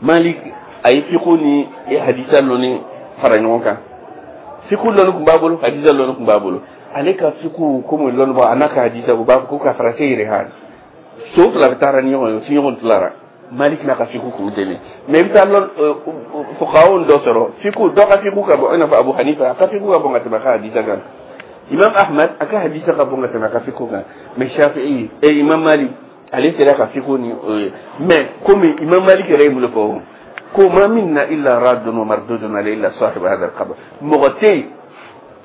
Malik a ye fiqhu ni hadisa lɔnni fara ɲɔgɔn kan. Fiqhu lɔnni tun b'a bolo, hadisa lɔnni tun b'a bolo. Ale ka fiqhu, komi lɔnnibaga a n'a ka hadisa, u b'a fɔ ko ka farase yɛrɛ ha so fila bɛ taara ni ɲɔgɔn ye, u ti ɲɔgɔn tilara. Malik n'a ka fiqhu kun tɛ. Mais i bɛ taa lɔn fuqahaw dɔ sɔrɔ, fiqhu dɔ ka fiqhu ka bon, i n'a fɔ Abu Hanifa, a ka fiqhu ka bon ka tɛmɛ a ka hadisa kan. Imam Ahmad, a ka hadisa ka bon ka tɛmɛ a ka fiqhu kan. Mais Shafi'i et Imam Malik, ale sera ka fiqhu ni o ye. Mais komi Imam Malik yɛrɛ ye mun de fɔ? Ko ma minna illa raddun wa mardudun alayhi illa sahib hadha al-qabr. Mɔgɔ tɛ yen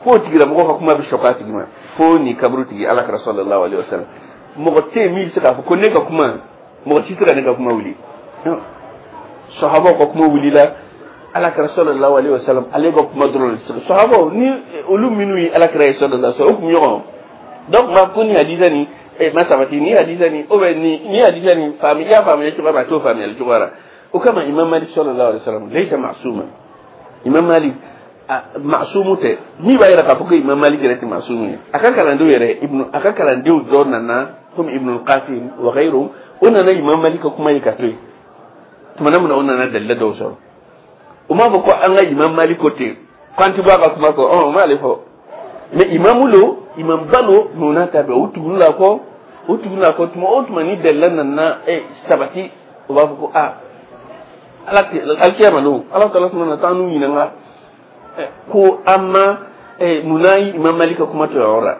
f'o tigilamɔgɔ ka kuma bɛ sɔkɔ a tigi ma, fo ni kaburu tigi, Ala kɛra sallallahu alaihi wasallam. Mɔgɔ tɛ yen min bɛ se k'a fɔ ko ne ka kuma, mɔgɔ si tɛ ka ne ka kuma wuli. Sahabaw ka kuma wulila, Ala kɛra sallallahu alaihi wasallam ale ka kuma dɔrɔn de. Sahabaw ni olu minnu ye Ala kɛra ye sallallahu alaihi wasallam, o kun ɲɔgɔn donc ma ko ni hadisa ni ma sabati, ni hadisa ni ou bien ni hadisa ni faamu, i y'a faamuya cogoya min, a t'o faamuyali cogoya la. O kama, Imam Malik sallallahu alaihi wasallam laysa ma'suma. Imam Malik ma'sumu tɛ. Min b'a yira k'a fɔ ko Imam Malik yɛrɛ tɛ ma'sumu ye, a ka kalandenw yɛrɛ, ibnu a ka kalandenw dɔ nana komi Ibn al-Qasim wa ghayruhum, o nana Imam Malik ka kuma ye ka to yen. Tuma min na o nana dalila dɔw sɔrɔ, o m'a fɔ ko an ka Imam Malik ko ten, k'an ti bɔ a ka kuma kɔ. O m'ale fɔ. Mais imamu lo, imam ba lo, mais o n'a ta bɛɛ, o tuguni la kɔ, o tuguni la kɔ. Tuma o tuma ni dalila nana sabati, o b'a fɔ ko aa, ala alikiyama don, Ala taala tuma na taa n'u ɲininka ko an ma munna Imam Malik ka kuma to yɔrɔ la.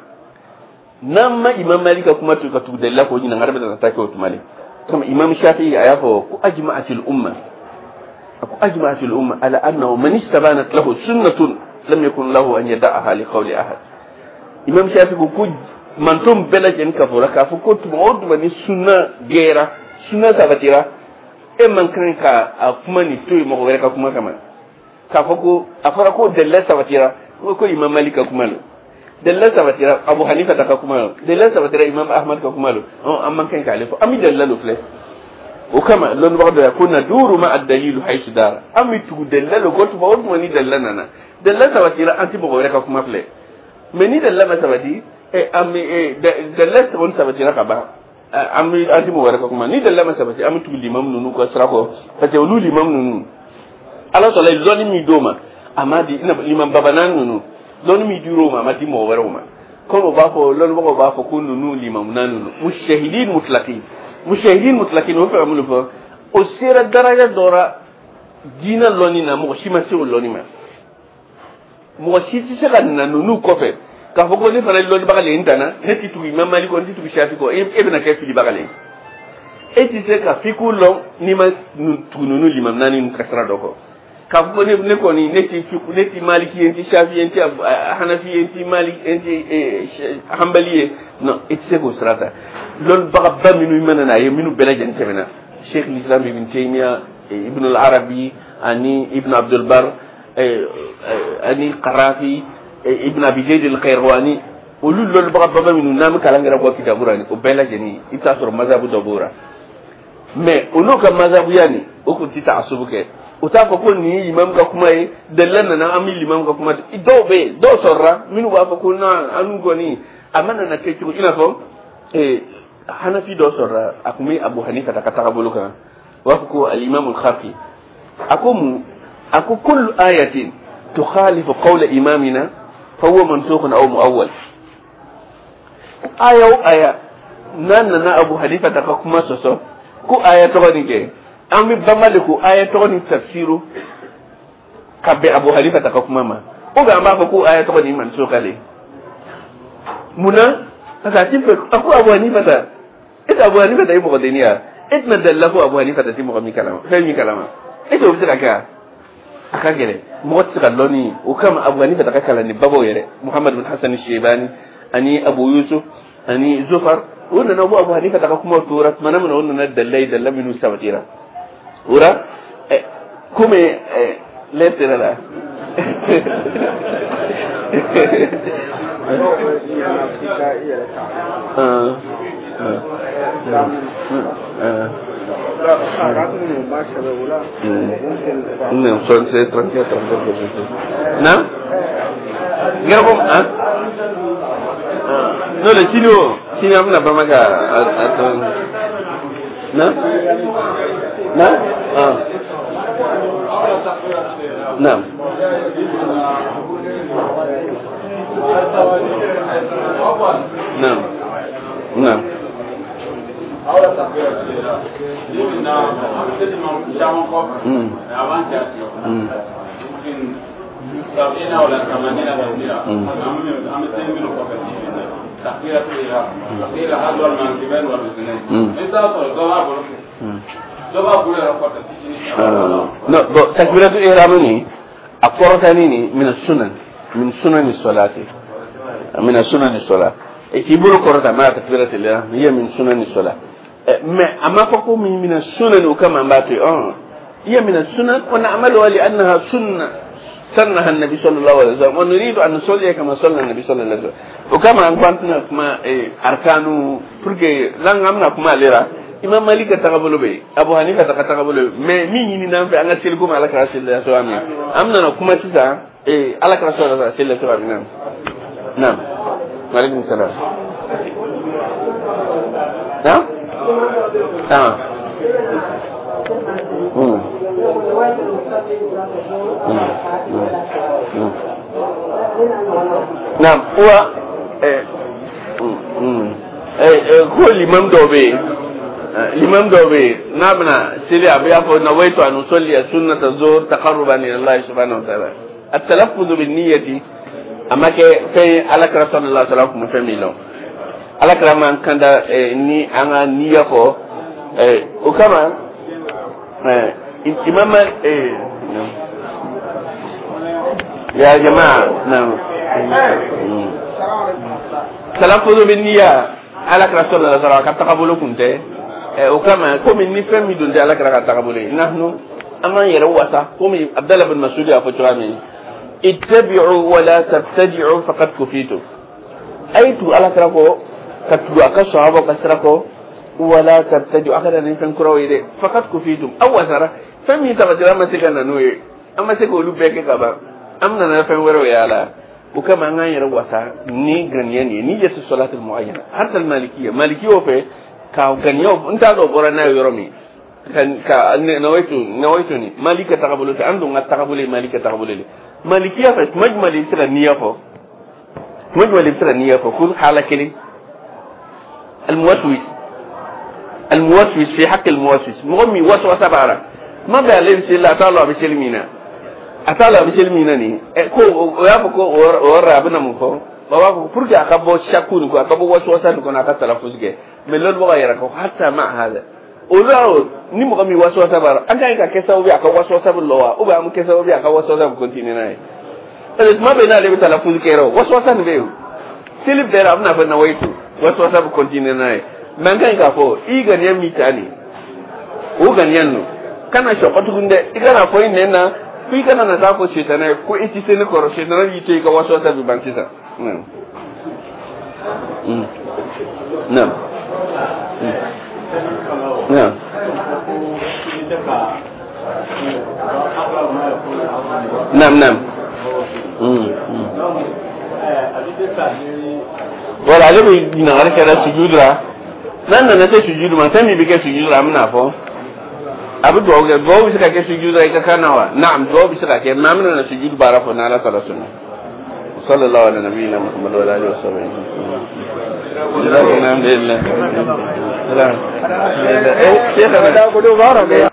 N'an ma Imam Malik ka kuma to ka tugu dalila k'o ɲininkali bɛ na taa kɛ o tuma de. Kama Imam Shafi'i a y'a fɔ ko ajma'atil umma, a ko ajma'atil umma ala annahu man istabanat lahu sunnatun lam yakun lahu an yada'aha li qawli ahad. Imam Shafi'i ko manton bɛɛ lajɛlen ka fɔ k'a fɔ ko tuma o tuma ni sunna gɛra, sunna sabatira, e man kan ka a kuma ni to yen mɔgɔ wɛrɛ ka kuma kama, k'a fɔ ko a fɔra ko dalila sabatira ko Imam Malik ka kuma lo, dalila sabatira Abu Hanifa ta ka kuma lo, dalila sabatira Imam Ahmad ka kuma lo, an man kan k'ale fɔ, an bɛ dalila lo filɛ. O kama lɔnnibaga dɔ ya ko naduru ma ad-dalilu haythu dara, an bɛ tugu dalila lo ko tuma o tuma ni dalila nana, dalila sabatira, an tɛ mɔgɔ wɛrɛ ka kuma filɛ. Mais ni dalila ma sabati, an bɛ dalila kɔni sabatira ka ban, an bɛ an tɛ mɔgɔ wɛrɛ ka kuma. Ni dalila ma sabati, an bɛ tugu limamu ninnu ka sira kɔ, parce que olu limamu ninnu, Ala sɔrɔla ye lɔnni min d'o ma, a ma di i n'a fɔ limam babanan ninnu, lɔnni min dir'o ma, a ma di mɔgɔ wɛrɛw ma. Komi u b'a fɔ, lɔnnibagaw b'a fɔ ko ninnu limamu naani ninnu mujtahidin mutlaqin, mujtahidin mutlaqin, o fɛ ka mun de fɔ? O sera daraja dɔ la diinɛ lɔnni na, mɔgɔ si ma se o lɔnni ma. Mɔgɔ si tɛ se ka na ninnu kɔfɛ k'a fɔ ko ne fana ye lɔnnibaga le ye, n danna, ne tɛ tugu Imam Malik kɔ, n tɛ tugu Shafi kɔ. E bɛna kɛ filibaga le ye. E tɛ se ka fiku lɔn n'i ma tugu ninnu limam naani ninnu ka sira dɔ kɔ, k'a fɔ ko ne kɔni ne tɛ fiku, ne tɛ Maliki ye, n tɛ Shafi ye, n tɛ Hanafi ye, n tɛ Malik, n tɛ Hanbali ye. Non, e tɛ se k'o sira ta. Lɔnnibagaba minnu mana n'a ye, minnu bɛɛ lajɛlen tɛmɛna, Sheikh l'Islam Ibn Taymiya, Ibn al-Arabi ani Ibn Abdul Bar ani Qarafi, Ibn Abi Zayd al-Qayrawani, olu lɔnnibagaba minnu n'an bɛ kalan kɛra kɔ kitabu la, o bɛɛ lajɛlen i bɛ taa sɔrɔ mazhabu dɔ b'o la. Mais olu ka mazhabuya nin, o kun tɛ taasubu kɛ. O t'a fɔ ko nin ye imam ka kuma ye, dalila nana, an bɛ limam ka kuma. Dɔw bɛ yen, dɔw sɔrɔla minnu b'a fɔ ko non, an n'u kɔni a ma nana kɛ cogo, i n'a fɔ Hanafi dɔ sɔrɔla, a tun bɛ Abu Hanifa ka tagabolo kan, u b'a fɔ ko al-imam al-Khafi, a ko mun? A ko kullu ayatin tukhalifu qawla imamina fahuwa mansukhun aw muawwal. Aya o aya n'a nana Abu Hanifa ta ka kuma sɔsɔ ko aya tɔgɔ nin kɛ, an bɛ banba de ko aya tɔgɔ nin tafsiru ka bɛn Abu Hanifa ta ka kuma ma, ou bien an b'a fɔ ko aya tɔgɔ nin mansukha le. Mun na? Parce que a ti fɛ a ko Abu Hanifa ta, e tɛ Abu Hanifa ta ye mɔgɔ denni ya, e tɛna dalila ko Abu Hanifa ta ti mɔgɔ min kalama, fɛn min kalama, e tɛ o bɛ se ka kɛ wa? A ka gɛlɛn, mɔgɔ tɛ se ka lɔnni o kama. Abu Hanifa ta ka kalan ni babaw yɛrɛ, Muhammad bin Hasan Shebani ani Abu Yusuf ani Zufar, o nana bɔ Abu Hanifa ta ka kumaw tora tuma min na, o nana dalila ye, dalila minnu sabatira o la. Komi lɛ sera la. Non, 76, 34, 34, Non. Gɛrɛbɔ, hein? Non, le sini o, sini an bɛna Bamaka a tɔ. Non? Non? Ah. Non. Non. Non. Non, bon, takbiratul ihram ni a kɔrɔtani ni min sunan, min sunani salati, min sunani salat, e k'i bolo kɔrɔta ma takbiratul ihram hiya min sunani salat. Mais a ma fɔ ko min sunan, o kama an b'a to yen, hiya min sunan wa na'maluha li annaha sunna sannaha an-nabi sallallahu alaihi wasallam wa nuridu an nusalliya kama salla an-nabi sallallahu alaihi wasallam. O kama an ko an tɛna kuma arkanu pour que l'an an bɛna kuma ale la. Imam Malik ka tagabolo bɛ yen, Abu Hanifa ta ka tagabolo bɛ yen, mais min ɲini n'an fɛ an ka seli komi Ala kɛra seli la cogoya min, an bɛna kuma sisan Ala kɛra sɔrɔ la seli la cogoya min na. Naam, maaleykum salaam. Naam. Ah. Naam, wa ko limam dɔw bɛ yen, limam dɔw bɛ yen n'a bɛna seli a bɛ fɔ nawaitu an usalliya sunnata zuhur taqarruban ila Allah subhanahu wa ta'ala. At-talaffuz bin niyyati a ma kɛ fɛn ye Ala kɛra sallallahu alaihi wa sallam kun bɛ fɛn min lɔn. Ala kɛra man kanda ni an ka niyya fɔ o kama imam ya jamaa. Naam, talaffuz bin niyya Ala kɛra sallallahu alaihi wa sallam ka tagabolo kun tɛ. O kama komi ni fɛn min dun tɛ Ala kɛra ka tagabolo ye, nahnu an k'an yɛrɛ wasa komi Abdallah bin Mas'ud y'a fɔ cogoya min, ittabi'u wa la tabtadi'u faqad kufitu. A ye tugu Ala kɛra kɔ, ka tugu a ka sahaba ka sira kɔ, wala tabtadi'u, a kana ni fɛn kuraw ye dɛ, faqad kufitum, aw wasara. Fɛn min sabatira an ma se ka na n'o ye, an ma se k'olu bɛɛ kɛ ka ban, an bɛna na fɛn wɛrɛw ye a la. O kama an k'an yɛrɛ wasa ni ganiya nin ye, niyyatu salatil muayyana. Hatta al-malikiyya, malikiyaw fɛ ka ganiyaw n t'a dɔn bɔra n'a ye yɔrɔ min ka nawaitu ni Malik ka tagabolo tɛ, an dun ka tagabolo ye Malik ka tagabolo de. Malikiya fɛ tuma jumɛn de i bɛ se ka niyya fɔ, tuma jumɛn de i bɛ se ka niyya fɔ ko hala kelen, al-muwaswis, al-muwaswis fi haqqi al-muwaswis, mɔgɔ min waswasa b'a la, tuma bɛɛ ale bɛ seli la, a t'a lɔn a bɛ seli min na, a t'a lɔn a bɛ seli min na nin ko o y'a fɔ ko o yɔrɔ la a bɛna mun fɔ, o b'a fɔ pour que a ka bɔ shaku nin kɔ, a ka bɔ waswasa nin kɔnɔ, a ka talaffuz kɛ. Mais lɔnnibagaw yɛrɛ ko hatta ma hada olu y'a ni mɔgɔ min waswasa b'a la, an ka ɲi ka kɛ sababu ye a ka waswasa bɛ lɔ wa, ou bien an bɛ kɛ sababu ye a ka waswasa bɛ continuer n'a ye, parce que tuma bɛɛ n'ale bɛ talaffuz kɛ yɛrɛ, waswasa nin bɛ yen seli bɛɛ la, a bɛna fɔ nawaitu, waswasa bɛ continuer n'a ye. Mais an ka ɲi k'a fɔ i ganiya min ta nin, o ganiya ninnu kana sɔkɔ tuguni dɛ, i kana fɔ i nɛn na ko i kana na taa fɔ sitanɛ ye ko i ti se ne kɔrɔ, sitanɛ b'i to i ka waswasa bɛ ban sisan. Naam. Naam. Naam, naam. Voilà, ale bɛ ɲininkali kɛra sujudu la. N'an nana se sujudu ma, fɛn min bɛ kɛ sujudu la, an bɛna fɔ. A bɛ dugawu kɛ. Dugawu bɛ se ka kɛ sujudu la i ka kan na wa? Naam, dugawu bɛ se ka kɛ, mais an bɛna na sujudu baara fɔ n'Ala taala sɔnna. صلى الله على نبينا محمد وعلى اله وصحبه. الحمد لله.